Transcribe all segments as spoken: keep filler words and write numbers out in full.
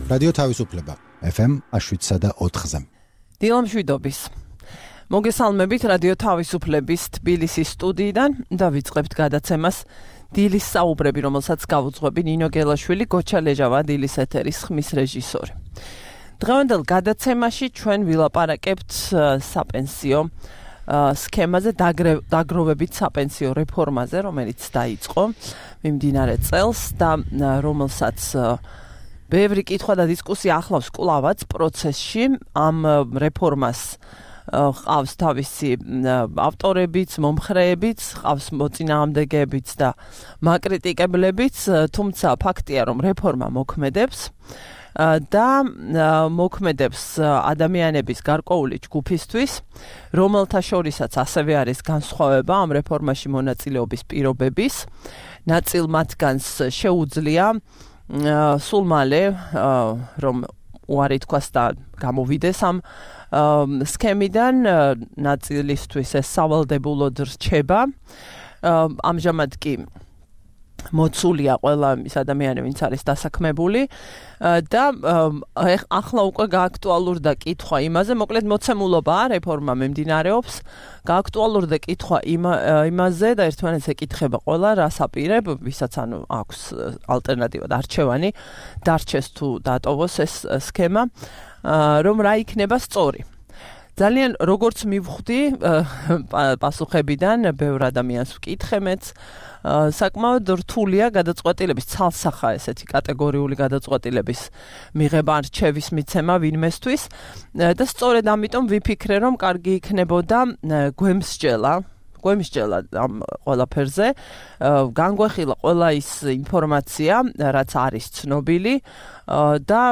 რადიო თავისუფლება ეფ ემ შვიდსა და ოთხზე. დილამშვიდობის. მოგესალმებით რადიო თავისუფლების თბილისის სტუდიიდან და ვიწყებთ გადაცემას დილის საუბრები, რომელსაც გავუძღვები ნინო გელაშვილი, გოჩა ლეჟავა, დილის ეთერის ხმის რეჟისორი. დღევანდელ გადაცემაში ჩვენ ვილაპარაკებთ საპენსიო სქემაზე, დაგროვებით საპენსიო რეფორმაზე, რომელიც დაიწყო მიმდინარე წელს და რომელსაც ბევრი კითხვა და დისკუსია ახლავს კვლავაც პროცესში. ამ რეფორმას ყავს თავისი ავტორებიც, მომხრეებიც, ყავს მოწინააღმდეგეებიც და მაკრიტიკებლებიც, თუმცა ფაქტია, რომ რეფორმა მოქმედებს და მოქმედებს ადამიანების გარკვეული ჯგუფისთვის, რომელთა შორისაც ასევე არის განსხვავება ამ რეფორმაში მონაწილეობის პირობების. ნაწილ მათგანს შეუძლია სულ მალე რომ უარი თქვას და გამოვიდეს ამ სქემიდან, ნაწილისთვის ეს სავალდებულოდ რჩება. ამჟამად კი მოცულია ყველა ის ადამიანი, ვინც არის დასაქმებული და ახლა უკვე გააქტუალურდა კითხვა იმაზე, მოკლედ მოცემულობაა, რეფორმა მიმდინარეობს, გააქტუალურდა კითხვა იმაზე და ერთმანეთს ეკითხება ყველა, რას აპირებ, ვისაც ანუ აქვს ალტერნატივა და არჩევანი, დარჩეს თუ დატოვოს ეს სქემა, რომ რა იქნება სწორი. ძალიან როგორც მივხვდი პასუხებიდან, ბევრ ადამიანს ვკითხემეც, საკმაოდ რთულია გადაწყვეტილების ცალსახა ესეთი კატეგორიული გადაწყვეტილების მიღება ან რჩევის მიცემა ვინმესთვის და სწორედ ამიტომ ვიფიქრე, რომ კარგი იქნებოდა გვემსჯელა გვემსჯელა ამ ყველაფერზე, განგვეხილა ყველა ის ინფორმაცია, რაც არის ცნობილი და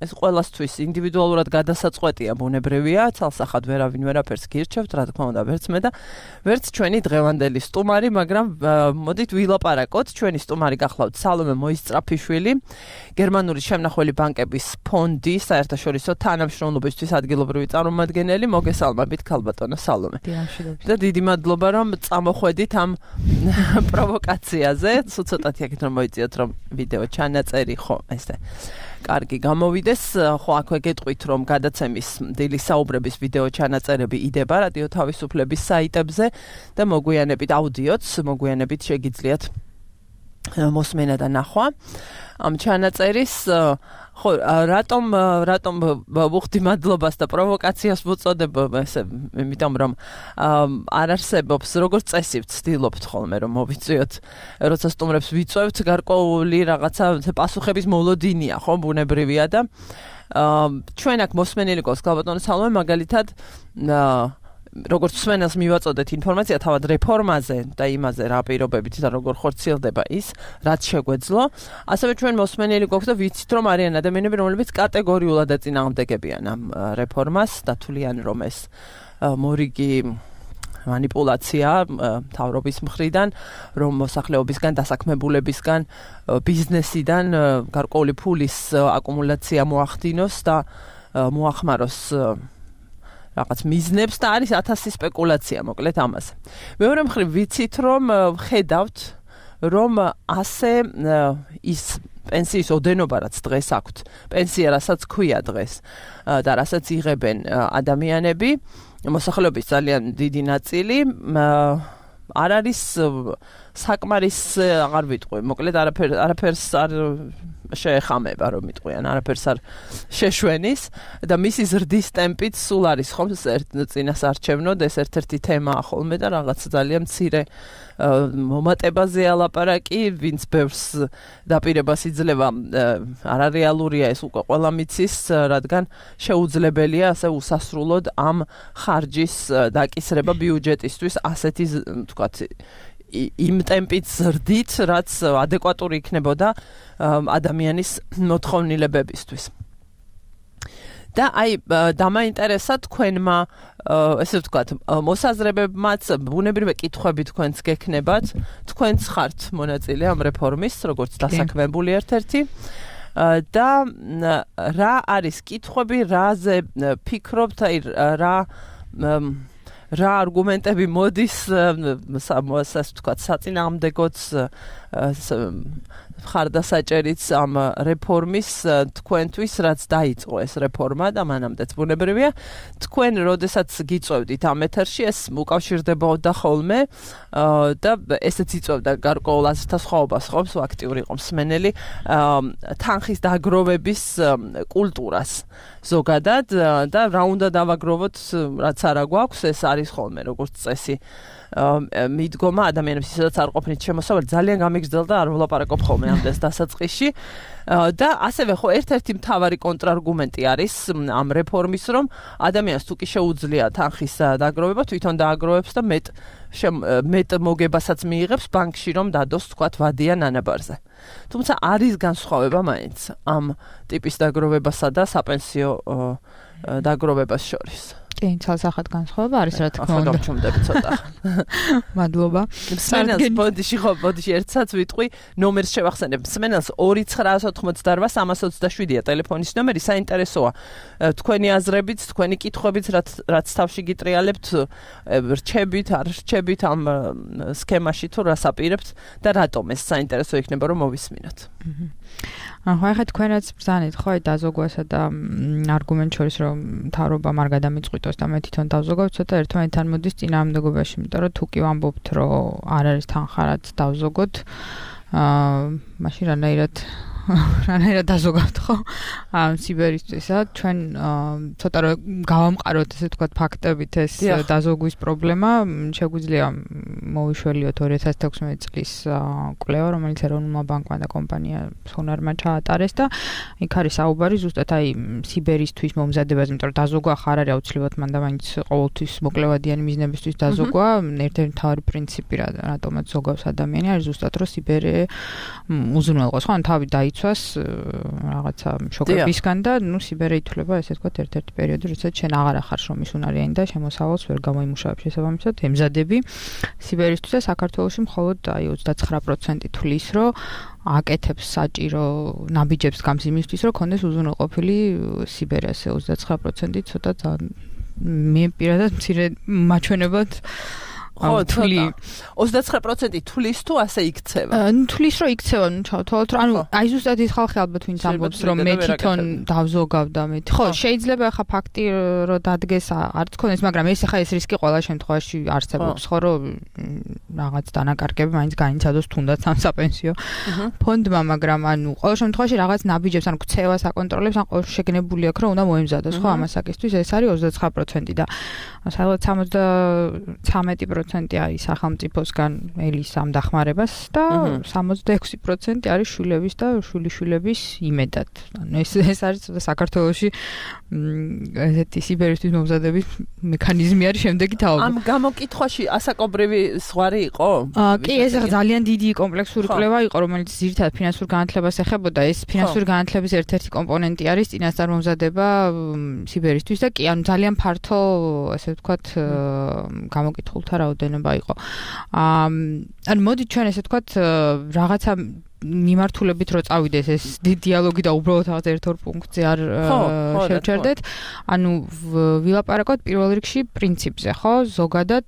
ეს ყველასთვის ინდივიდუალურად გადასაწყვეტია, ბუნებრივია, ცალსახად ვერავინ ვერაფერს გირჩევთ, რა თქმა უნდა, ვერც მე და ვერც ჩვენი დღევანდელი სტუმარი, მაგრამ მოდით ვილაპარაკოთ. ჩვენი სტუმარი გახლავთ სალომე მოისწრაფიშვილი, გერმანული შემნახველი ბანკების ფონდი საერთაშორისო თანამშრომლობისთვის ადგილობრივი წარმომადგენელი. მოგესალმებით, ქალბატონო სალომე. და დიდი მადლობა, რომ წამოხვედით ამ პროვოკაციაზე. ცოტათი აქეთ რომ მოიწიოთ, რომ ვიდეო ჩანაწერი ხო, ესე კარგი გამოვიდეს, ხო აქვე გეტყვით, რომ გადაცემის დილის საუბრების ვიდეო ჩანაწერები იდება რადიო თავისუფლების საიტებზე და მოგვიანებით აუდიოც, მოგვიანებით შეგიძლიათ მოსმენა და ნახვა ამ ჩანაწერის. ხო, რატომ რატომ ვუხდი მადლობას და პროვოკაციას მოწოდებ, ესე იმიტომ რომ არ არსებობს, როგორც წესი ვცდილობთ ხოლმე რომ მოვიწვიოთ, როცა სტუმრებს ვიწვევთ, გარკვეული რაღაცა პასუხების მოლოდინია, ხო, ბუნებრივია და ჩვენ აქ მოსმენილი გვაქვს ქალბატონო სალომე, მაგალითად როგორც მსმენელს მივაწოდეთ ინფორმაცია თავად რეფორმაზე და იმაზე რა პირობებით და როგორ ხორციელდება ის, რაც შეგვეძლო, ასევე ჩვენ მოსმენელი გვაქვს და ვიცით, რომ არიან ადამიანები, რომლებიც კატეგორიულად ეწინააღმდეგებიან ამ რეფორმას, დათვლიან, რომ ეს მორიგი მანიპულაცია მთავრობის მხრიდან, რომ მოსახლეობისგან, დასაქმებულებისგან, ბიზნესიდან გარკვეული ფულის აკუმულაცია მოახდინოს და მოახმაროს რაღაც მიზნებს და არის ათასი სპეკულაცია, მოკლედ ამაზე. მეორე მხრივ ვიცით, რომ ხედავთ, რომ ასე ის პენსიის ოდენობა, რაც დღეს აქვთ, პენსია, რასაც ქვია დღეს და რასაც იღებენ ადამიანები, მოსახლეობის ძალიან დიდი ნაწილი არ არის საკმარის, აღარ ვიტყვი, მოკლედ არაფერ არაფერს არ შეეხამება, რომ მიტყვიან, არაფერს არ შეშვენის და მისი ზრდის ტემპით სულ არის ხომ წინასარჩევნოდ, ეს ერთ-ერთი თემაა ხოლმე და რაღაც ძალიან მცირე მომატებაზეა ლაპარაკი, ვინც ბევრს დაპირებას იძლევა, არარეალურია ეს უკვე ყველა მიცის, რადგან შეუძლებელია ასე უსასრულოდ ამ ხარჯის დაკისრება ბიუჯეტისთვის ასეთი, თქვათ, იმ ტემპით ზრდით, რაც ადეკვატური იქნებოდა ადამიანის მოთხოვნილებებისთვის. და აი დამაინტერესა თქვენმა, ესე ვთქვათ, მოსაზრებებმაც, ბუნებრივი კითხვები თქვენს გექნებათ, თქვენც ხართ მონაწილე ამ რეფორმის, როგორც დასაქმებული ერთ-ერთი. და რა არის კითხვები, რაზე ფიქრობთ, აი რა რა argumentები მოდის, ასე ვთქვათ, საწინააღმდეგოც ხარდასაჭერიც ამ რეფორმის თქვენთვის, რაც დაიწყო ეს რეფორმა და მანამდეც ბუნებრივია, თქვენ როდესაც გიწევდით ამ ეთერში, ეს უკავშირდებოდა ხოლმე და ესეც იწევდა გარკვეულ აზრთა სხვაობას, ხო, აქტიური იყო მსმენელი თანხის დაგროვების კულტურას ზოგადად და რა უნდა დავაგროვოთ, რაც არა გვაქვს, ეს არის ხოლმე როგორც წესი. მიდგომა ადამიანებს ისაც არ ყოფნით შემოსავალი ძალიან გამიგრძელდა არ ვლაპარაკობ ხოლმე ამდენს დასაწყისში და ასევე ხო ერთ-ერთი მთავარი კონტრარგუმენტი არის ამ რეფორმის რომ ადამიანს თუ კი შეუძლია თანხის დაგროვება თვითონ დააგროვებს და მეტ მეტ მოგებასაც მიიღებს ბანკში რომ დადოს თქვათ ვადიან ანაბარზე. თუმცა არის განსხვავება მაინც ამ ტიპის დაგროვებასა და საპენსიო დაგროვებას შორის. კი, ცალსახად განსხვავება არის რა თქმა უნდა. ახლა გამჩუმდები ცოტა. მადლობა. მსმენელს ბოდიში ხო, ბოდიში ერთსაც ვიტყვი, ნომერს შევახსენებ. მსმენელს ორი ცხრა ოცდაოთხმოცდაოთხ სამას ოცდაშვიდია ტელეფონის ნომერი, საინტერესოა. თქვენი აზრებით, თქვენი კითხვებით, რაც რაც თავში გიტრიალებთ, რჩებით, არ რჩებით ამ სქემაში თუ რას აპირებთ და რატომ ეს საინტერესო იქნება რომ მოვისმინოთ. ახლა ხა თქვენ რაც ბრძანეთ, ხო, დაზოგვასა და არგუმენტ შორის რომ მთავრობა არ გადამიწყვიტოს და მე თვითონ დავზოგავ, ცოტა ერთმანეთთან მოდის წინააღმდეგობაში, იმიტომ რომ თუ კი ვამბობთ, რომ არ არის თანხა რაც დავზოგოთ, აა მაშინ რანაირად რანაირად დაზოგავთ, ხო? ამ სიბერისთვისა ჩვენ ცოტა რომ გავამყაროთ, ესე ვთქვათ, ფაქტებით ეს დაზოგვის პრობლემა, შეგვიძლია მოვიშველიოთ ორი ათას თექვსმეტი წლის კვლევა, რომელიც ეროვნულმა ბანკმა და კომპანია სონარმა ჩაატარეს და იქ არის საუბარი ზუსტად აი სიბერისთვის მომზადებაზე, იმიტომ რომ დაზოგვა ხარ არის აუცილებლად მანდა მაინც ყოველთვის მოკლევადიანი მიზნებისთვის დაზოგვა, ერთ-ერთი მთავარი პრინციპი რატომაც ზოგავს ადამიანი არის ზუსტად რომ სიბერე უზრუნველყოს, ხო, ან თავი დაი ცვას რაღაცა შოკებისგან და ნუ სიბერე ითვლება ესე ვთქვათ ერთ-ერთი პერიოდი, როდესაც შენ აღარ ახარ შრომის უნარიანი და შემოსავალს ვერ გამოიმუშავებ შესაბამისად, ემზადები სიბერისთვის და საქართველოში მხოლოდ აი ოცდაცხრა პროცენტი თვლის, რომ აკეთებს საჭირო ნაბიჯებს გამს იმისთვის, რომ კონდეს უზრუნველყოფილი სიბერე, ასე ოცდაცხრა პროცენტი ცოტა მე პირადად მცირე მაჩვენებად ხო, თვლი ოცდაცხრა პროცენტი თვლის თუ ასე იქცევა? ნუ თვლის რომ იქცევა, ნუ ჩავთვალოთ რომ ანუ აი ზუსტად ის ხალხი ალბათ ვინც ამბობს რომ მე თვითონ დავზოგავ და მე ხო, შეიძლება ახლა ფაქტი რომ დადგეს არც ქონდეს, მაგრამ ეს ახლა ეს რისკი ყველა შემთხვევაში არსებობს, ხო, რომ რაღაც დანაკარგები მაინც განიცადოს თუნდაც ამ საპენსიო ფონდმა, მაგრამ ანუ ყველა შემთხვევაში რაღაც ნაბიჯებს, ანუ ქცევას აკონტროლებს, ან ყოველ შეგნებული აქვს რომ უნდა მოემზადოს, ხო, ამასაკისთვის ეს არის ოცდაცხრა პროცენტი და სადღაც სამოცდათრამეტი პროცენტი არის სახელმწიფოსგან ელის ამ დახმარებას და სამოცდაექვსი პროცენტი არის შვილების და შვილიშვილების იმედად. ანუ ეს ეს არის საქართველოში ესეთი სიბერისთვის მომზადების მექანიზმი არის შემდეგი თაობა. ამ გამოკითხვაში ასაკობრივი ზღვარი იყო? კი, ეს ძალიან დიდი კომპლექსური კვლევა იყო, რომელიც ძირითადად ფინანსურ განათლებას ეხებოდა. ეს ფინანსური განათლების ერთ-ერთი კომპონენტი არის წინასწარმომზადება სიბერისთვის და კი, ანუ ძალიან ფართო, ასე ვთქვათ, გამოკითხულთა რაოდენობა იყო. აა ან მოდით ჩვენ ესე ვთქვათ რაღაცა მიმართულებით რო წავიდეს ეს დიალოგი და უბრალოდ რაღაც ერთ-ორ პუნქტზე არ შევჩერდეთ. ანუ ვილაპარაკოთ პირველ რიგში პრინციპზე, ხო? ზოგადად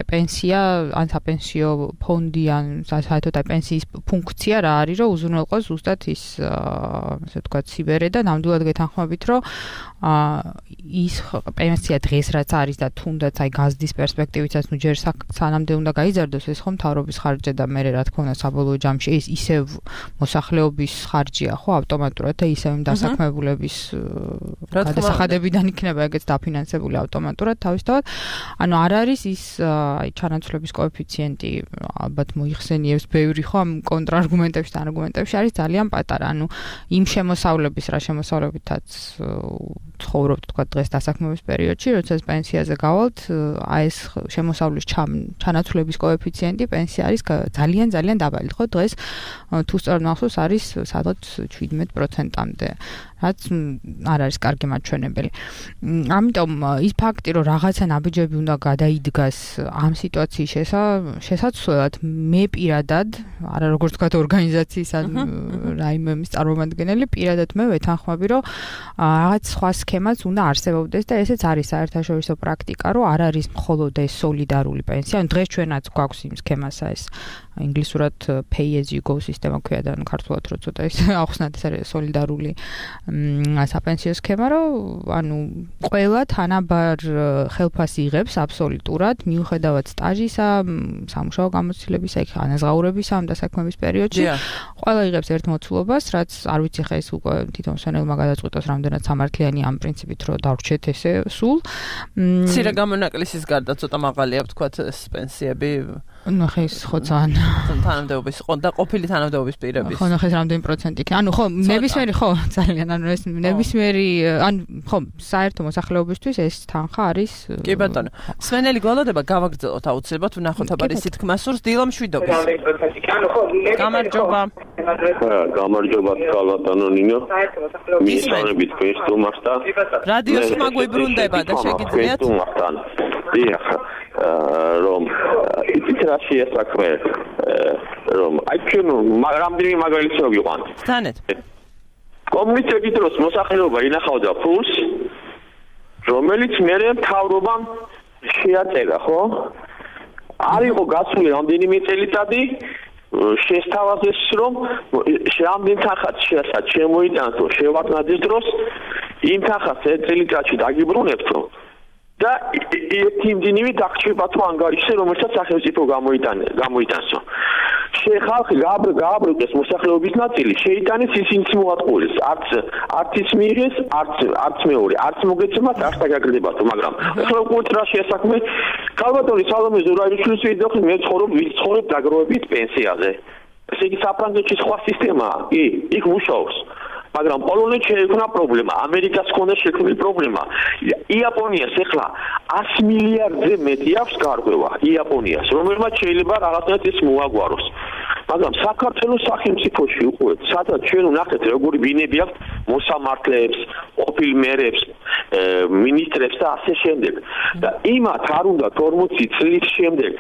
პენსია, ან საპენსიო ფონდი, ან საერთოდ აი პენსიის ფუნქცია რა არის, რომ უზრუნველყოს ზუსტად ის ასე ვთქვათ სიბერე და ნამდვილად გეთანხმებით, რომ ის პენსია დღეს რაც არის და თუნდაც აი გაზდის პერსპექტივითაც ნუ ჯერ სანამდე უნდა გაიზარდოს ეს ხომ მთავრობის ხარჯი და მე რა თქმა უნდა საბოლოო ჯამში ეს ისევ მოსახლეობის ხარჯია, ხო, ავტომატურად და ისევ იმ დასაქმებულების გადასახადებიდან იქნება ეგეც დაფინანსებული ავტომატურად თავისთავად. ანუ არ არის ის აი ჩანაცვლების კოეფიციენტი ალბათ მოიხსენიებს ბევრი ხო ამ კონტრარგუმენტებში და არგუმენტებში არის ძალიან პატარა. ანუ იმ შემოსავლების რა შემოსავლებითაც ცხოვრობთ თქვა დღეს დასაქმების პერიოდში, როდესაც პენსიაზე გავალთ, აი ეს შემოსავლის ჩანაცვლების კოეფიციენტი პენსია არის ძალიან ძალიან დაბალი, ხო? დღეს თუ სწორად მახსოვს არის სადღაც შვიდმეტ პროცენტამდე. რაც არ არის კარგი მაჩვენებელი. ამიტომ ის ფაქტი, რომ რაღაცა ნაბიჯები უნდა გადაიდგას ამ სიტუაციის შესაძლებლად, მე პირადად, არა როგორც თქვა ორგანიზაციის ან რაიმემის წარმომადგენელი, პირადად მე ვეთანხმები, რომ რაღაც სხვა სქემაც უნდა არსებობდეს და ესეც არის საერთაშორისო პრაქტიკა, რომ არ არის მხოლოდ ეს სოლიდარული პენსია. ან დღეს ჩვენაც გვაქვს იმ სქემასა ეს ინგლისურად pay as you go სისტემა ქვია და ქართულად რო ცოტა ის ახსნათ ეს არის სოლიდარული საპენსიო სქემა, რომ ანუ ყველა თანაბარ ხელფასს იღებს აბსოლუტურად მიუხედავად სტაჟისა, სამუშაო გამოცდილებისა, იქ ანაზღაურებისა ამ დასაქმების პერიოდში. ყველა იღებს ერთ მოცულობას, რაც არ ვიცი ხა ეს უკვე თვითონ სვენელმა გადაწყვიტოს რამდენად სამართლიანი ამ პრინციპით რო დავრჩეთ ესე სულ. მცირე გამონაკლისის გარდა ცოტა მაღალია ვთქვათ ეს პენსიები. ну ხეს ხო ძალიან თანამდებობის ხო და ყოფილი თანამდებობის პირების ხო ხეს რამდენი პროცენტი იქ ანუ ხო ნებისმიერი ხო ძალიან ანუ ეს ნებისმიერი ანუ ხო საერთო მოსახლეობისთვის ეს თანხა არის კი ბატონო სვენელი გვალოდება გავაგრძელოთ აუცილებლად ვნახოთ აბარის თქმასურს დილო მშვიდობის გამარჯობა გამარჯობა ბატონო ნინო მისმენებით თქვენ სტუმარს და რადიოს მაგვიბრუნდება და შეგიძლიათ დიახ რომ იცით რა შეასაქმე რომ აი ჩვენ რამდენი მაგალითი მოგიყვანთ თანეთ კომუნიკაციების დროს მოსახლეობა ინახავდა ფულს რომელიც მერე მთავრობამ შეაწერა ხო არ იყო გასული რამდენიმე წელიწადი შესთავაზეს რომ რამდენ თანხაც შეასად შემოიტანო შევაკნადეს დროს იმ თანხას ერთ წელიწადში დაგიბრუნებთო და ერთი იმდენივე დაგჭირება თუ ანგარიშზე რომელსაც სახელმწიფო გამოიტანსო შეხალხი გააბრუნდეს მოსახლეობის ნაწილი შეიტანეს ისინიც მოატყუეს არც არც ის მიიღეს არც არც მეორე არც მოგეცემათ არც დაგაგრდებათო მაგრამ ახლა უკვე რა შეასაქმე კალბატონი სალომე ზურაიშვილი ვიდოხი მე ცხოვრობ ვიცხოვრებ დაგროვებით პენსიაზე ესე იგი საფრანგეთში სხვა სისტემაა კი იქ მუშაობს მაგრამ პოლონეთში შეექმნა პრობლემა, ამერიკას ჰქონდა შექმნილი პრობლემა. იაპონიას ეხლა ათი მილიარდზე მეტი აქვს გარღვევა იაპონიას, რომელმაც შეიძლება რაღაცნაირად ეს მოაგვაროს. მაგრამ საქართველოს სახელმწიფოში უკვე სადაც ჩვენ ვნახეთ როგორი ბინები აქვს მოსამართლეებს, ყოფილ მერებს, მინისტრებს და ასე შემდეგ. და იმათ არ უნდა ორმოცი წლის შემდეგ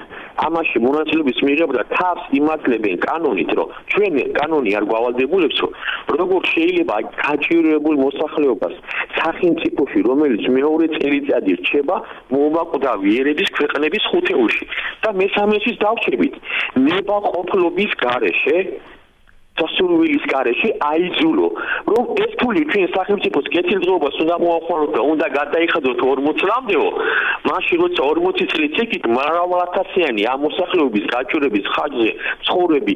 ამაში მონაწილეობის მიღება თავს იმართლებენ კანონით, რომ ჩვენ კანონი არ გავალდებულებს, როგორ შეიძლება გაჭირვებულ მოსახლეობას სახელმწიფოში, რომელიც მეორე წელიწადი რჩება, მოუმაკვდავი ერების ქვეყნების ხუთეულში და მესამეშიც დავჩებით ნებაყოფლობის გარეშე სასურვილის გარეშე აიძულო, რომ ეს ფული ჩვენ სახელმწიფოს კეთილდღეობას უნდა მოახმაროთ და უნდა გადაიხადოთ ორმოცი წლამდეო, მაშინ როცა ორმოცი წლიც ეკით მრავალათასიანი ამ მოსახლეობის გაჭირვების ხარჯზე ცხოვრები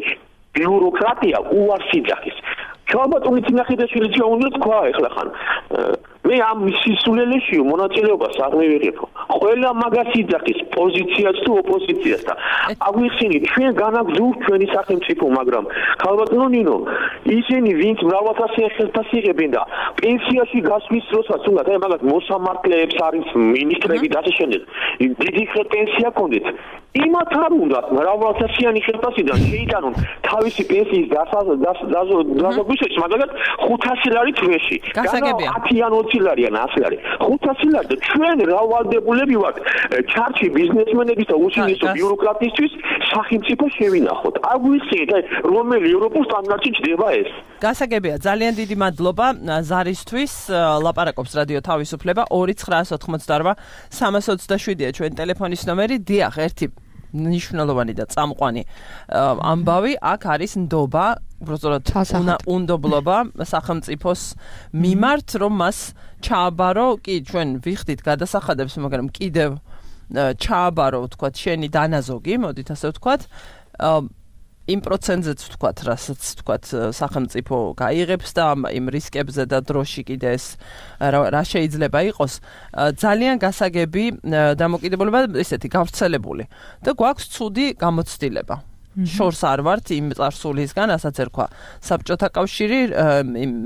ბიუროკრატია უარს იძახის. ქალბატონი თინახიდაშვილი უნდა თქვა ეხლა ხან მე ამ სისულელეში მონაწილეობას არ მივიღებო. ყველა მაგას იძახის პოზიციას თუ ოპოზიციას და აგვიხსენით ჩვენ განაგზავნოთ ჩვენი სახელმწიფო, მაგრამ ქალბატონო ნინო, ისინი ვინც მრავალთასიან ხელფასს იღებენ და პენსიაში გასვლის დროსაც უნდა და მაგათ მოსამართლეებს არის მინისტრები და ასე შემდეგ. დიდი პენსია კონდეთ. იმათ არ უნდა მრავალთასიანი ხელფასიდან შეიტანონ თავისი პენსიის დასაზოგადოების მაგალითად ხუთასი ლარი თვეში. გასაგებია. ათი ან ოცი ლარი ან ასი ლარი. ხუთასი ლარი და ჩვენ რა ვალდებულები ვართ ჩარჩი ბიზნესმენების და უშინისო ბიუროკრატისთვის სახელმწიფო შევინახოთ. აგვიხსენეთ აი რომელი ევროპულ სტანდარტში ჯდება ეს. გასაგებია, ძალიან დიდი მადლობა ზარისთვის. ლაპარაკობს რადიო თავისუფლება ორი ცხრაას ოთხმოცდაორვა სამას ოცდაშვიდია ჩვენ ტელეფონის ნომერი. დიახ, ერთი ნიშნულოვანი და წამყვანი ამბავი აქ არის ნდობა, უბრალოდ უნდობლობა სახელმწიფოს მიმართ, რომ მას ჩააბარო, კი ჩვენ ვიხდით გადასახადებს, მაგრამ კიდევ ჩააბარო, ვთქვათ, შენი დანაზოგი, მოდით ასე ვთქვათ, იმ პროცენტზეც ვთქვათ, რასაც ვთქვათ, სახელმწიფო გაიღებს და იმ რისკებზე და დროში კიდე ეს რა შეიძლება იყოს, ძალიან გასაგები დამოკიდებულება ესეთი გავრცელებული და გვაქვს ცუდი გამოცდილება. შორს არ ვართ იმ წარსულისგან, ასაც ერქვა საბჭოთა კავშირი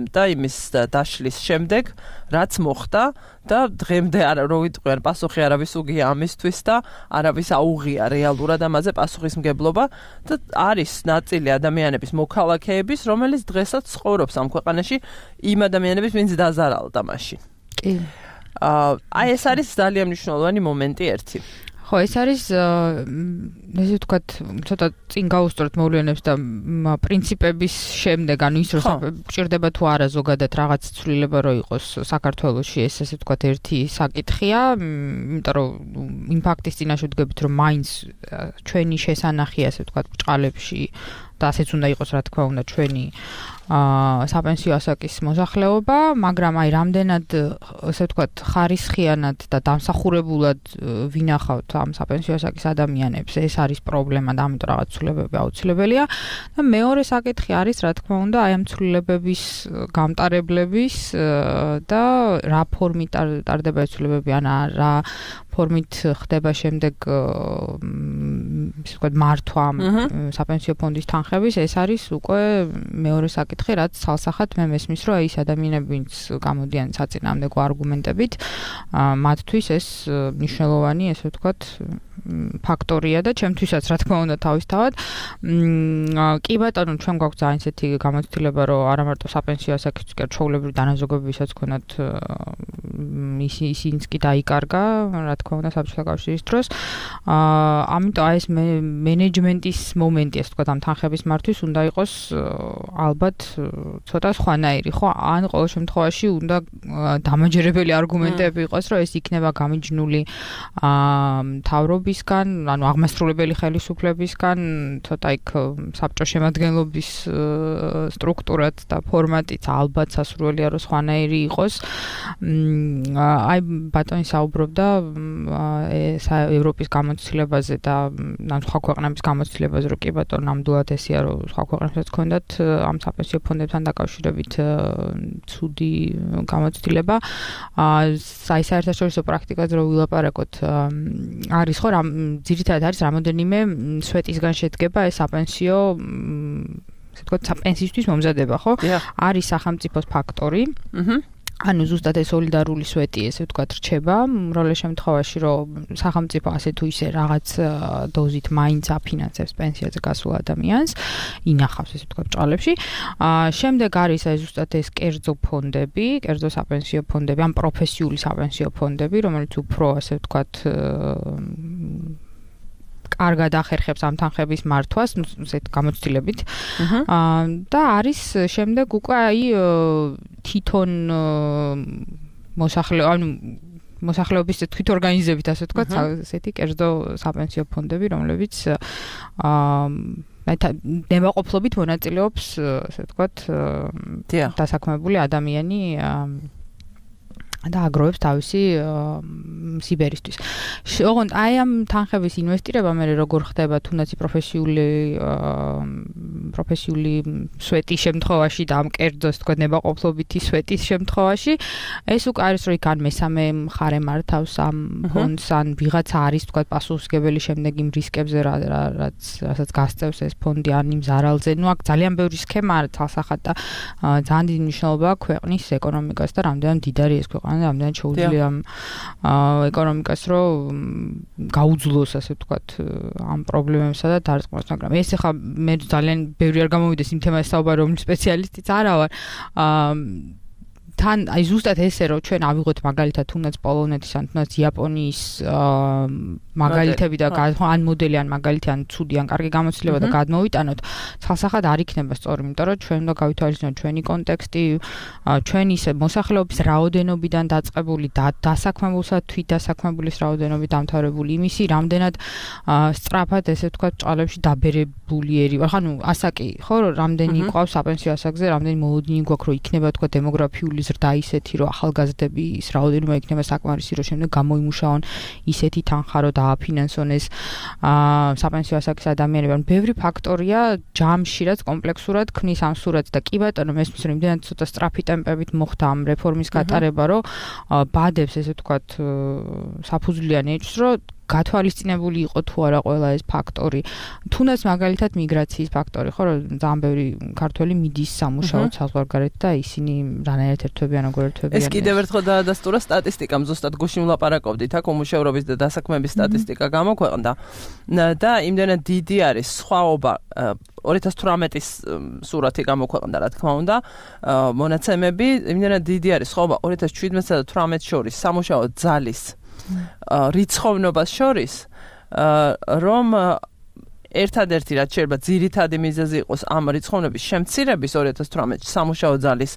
და იმის დაშლის შემდეგ, რაც მოხდა და დღემდე არ რო ვიტყვიან პასუხი არავის უგია ამისთვის და არავის აუღია რეალურად ამაზე პასუხისმგებლობა და არის ნაწილი ადამიანების მოქალაქეების, რომელიც დღესაც ცხოვრობს ამ ქვეყანაში იმ ადამიანების, ვინც დაზარალდა მაშინ. კი. აი ეს არის ძალიან მნიშვნელოვანი მომენტი ერთი. ხო, ეს არის ესე ვთქვათ, ცოტა წინ გაუსწორეთ მოვლენებს და პრინციპების შემდეგ, ანუ ის რომ გჭირდება თუ არა ზოგადად რაღაც ცვლილება რო იყოს საქართველოში, ეს ესე ვთქვათ ერთი საკითხია, იმიტომ რომ იმპაქტის წინაშე ვდგებით, რომ მაინც ჩვენი შესანახი ასე ვთქვათ ბჭყალებში და ასეც უნდა იყოს რა თქმა უნდა ჩვენი აა საპენსიო ასაკის მოსახლეობა, მაგრამ აი რამდენად ასე ვთქვათ ხარისხიანად და დამსახურებულად ვინახავთ ამ საპენსიო ასაკის ადამიანებს, ეს არის პრობლემა და ამიტომ რაღაც ცვლილებები აუცილებელია და მეორე საკითხი არის რა თქმა უნდა აი ამ ცვლილებების გამტარებლების და რა ფორმით ტარდება ეს ცვლილებები, ან რა ფორმით ხდება შემდეგ ისე ვთქვათ მართვა საპენსიო ფონდის თანხების, ეს არის უკვე მეორე საკითხი, რაც ცალსახად მე მესმის, რომ ის ადამიანები, ვინც გამოდიან საწინააღმდეგო არგუმენტებით, მათთვის ეს მნიშვნელოვანი, ესე ვთქვათ, ფაქტორია და ჩემთვისაც რა თქმა უნდა თავისთავად. კი ბატონო, ჩვენ გვაქვს ძალიან ისეთი გამოცდილება, რომ არა მარტო საპენსიო ასაკის ჩვეულებრივი დანაზოგებებისაც ქონათ ისინიც კი დაიკარგა, რა თქმა უნდა საბჭოთა კავშირის დროს. ამიტომ აი ეს მენეჯმენტის მომენტი, ასე ვთქვათ, ამ თანხების მართვის უნდა იყოს ალბათ ცოტა სხვანაირი, ხო? ან ყოველ შემთხვევაში უნდა დამაჯერებელი არგუმენტები იყოს, რომ ეს იქნება გამიჯნული მთავრობისგან, ანუ აღმასრულებელი ხელისუფლებისგან, ცოტა იქ საბჭო შემადგენლობის სტრუქტურაც და ფორმატიც ალბათ სასურველია რომ სხვანაირი იყოს. აი ბატონი საუბრობდა ევროპის გამოცდილებაზე და ან სხვა ქვეყნების გამოცდილებაზე, რომ კი ბატონო ნამდვილად ესეა, რომ სხვა ქვეყნებსაც ქონდათ ამ საპენსიო ფონდებთან დაკავშირებით ცუდი გამოცდილება. აი საერთაშორისო პრაქტიკაზე რომ ვილაპარაკოთ, არის ხო რამ ძირითადად არის რამოდენიმე სვეტისგან შედგება ეს საპენსიო ასე ვთქვათ საპენსიისთვის მომზადება, ხო? არის სახელმწიფოს ფაქტორი. აჰა. ანუ ზუსტად ეს სოლიდარული სვეტი, ესე ვთქვათ, რჩება, უმრავლეს შემთხვევაში, რომ სახელმწიფო ასე თუ ისე რაღაც დოზით მაინც აფინანსებს პენსიაზე გასულ ადამიანს, ინახავს ესე ვთქვათ ბჭყალებში. აა შემდეგ არის აი ზუსტად ეს კერძო ფონდები, კერძო საპენსიო ფონდები, ან პროფესიული საპენსიო ფონდები, რომელიც უფრო ასე ვთქვათ კარგად ახერხებს ამ თანხების მართვას, ესეთ გამოცდილებით. აა და არის შემდეგ უკვე აი თვითონ მოსახლე, ანუ მოსახლეობის თვითორგანიზებით, ასე ვთქვათ, ესეთი კერძო საპენსიო ფონდები, რომლებიც აა ნებაყოფლობით მონაწილეობს, ასე ვთქვათ, დასაქმებული ადამიანი და აგროვებს თავისი სიბერისთვის. ოღონდ აი ამ თანხების ინვესტირება მე როგორ ხდება თუნდაც პროფესიული პროფესიული სვეტის შემთხვევაში და ამ კერძო თქვა ნებაყოფლობითი სვეტის შემთხვევაში, ეს უკვე არის რომ იქ ან მესამე მხარე მართავს ამ ფონდს, ან ვიღაცა არის თქვა პასუხისმგებელი შემდეგ იმ რისკებზე, რაც რასაც გასწევს ეს ფონდი, ან იმ ზარალზე. ნუ აქ ძალიან ბევრი სქემა არის თალსახად და ძალიან დიდი მნიშვნელობა აქვს ქვეყნის ეკონომიკას და რამდენად დიდარი ეს ქვეყანა და რამდენად შეუძლია ამ ეკონომიკას რომ გაუძლოს, ასე ვთქვათ, ამ პრობლემებსა და დარწმუნებას, მაგრამ ეს ახლა მე ძალიან ბევრი არ გამოვიდეს იმ თემაზე საუბარი, რომლის სპეციალისტიც არა ვარ. აა თან აი ზუსტად ესე რომ ჩვენ ავიღოთ მაგალითად თუნდაც პოლონეთის ან თუნდაც იაპონიის მაგალითები და ან მოდელი ან მაგალითი ან ცუდი ან კარგი გამოცდილება და გადმოვიტანოთ, თალსახად არ იქნება სწორი, იმიტომ რომ ჩვენ უნდა გავითვალისწინოთ ჩვენი კონტექსტი, ჩვენი ისე მოსახლეობის რაოდენობიდან დაწყებული და დასაქმებულსა თვითდასაქმებულის რაოდენობით დამთავრებული იმისი, რამდენად სწრაფად ესე ვთქვათ ბჭყალებში დაბერებული ერი, ანუ ასაკი, ხო, რამდენი ყავს საპენსიო ასაკზე, რამდენი მოლოდინი გვაქვს, რომ იქნება თქვა დემოგრაფიული ზრდა ისეთი, რომ ახალგაზრდების რაოდენობა იქნება საკმარისი, რომ შემდეგ გამოიმუშაონ ისეთი თანხა, რომ დააფინანსონ ეს საპენსიო ასაკის ადამიანები. ან ბევრი ფაქტორია ჯამში, რაც კომპლექსურად ქმნის ამ სურათს და კი ბატონო, მესმის რომ იმდენად ცოტა სწრაფი ტემპებით მოხდა ამ რეფორმის გატარება, რომ ბადებს ესე ვთქვათ საფუძვლიან ეჭვს, რომ გათვალისწინებული იყო თუ არა ყველა ეს ფაქტორი. თუნდაც მაგალითად მიგრაციის ფაქტორი, ხო, რომ ძალიან ბევრი ქართველი მიდის სამუშაოდ საზღვარგარეთ და ისინი რანაირად ერთვებიან, როგორ ერთვებიან. ეს კიდევ ერთხელ დაადასტურა სტატისტიკამ, ზუსტად გუშინ ვლაპარაკობდით, აქ უმუშევრობის და დასაქმების სტატისტიკა გამოქვეყნდა და იმდენად დიდი არის სხვაობა ორი ათას თვრამეტის სურათი გამოქვეყნდა, რა თქმა უნდა, მონაცემები, იმდენად დიდი არის სხვაობა ორი ათას ჩვიდმეტსა და თვრამეტს შორის სამუშაო ძალის რიცხოვნობას შორის რომ ერთადერთი რაც შეიძლება ძირითადი მიზეზი იყოს ამ რიცხოვნობის შემცირების ორი ათას თვრამეტში სამუშაო ძალის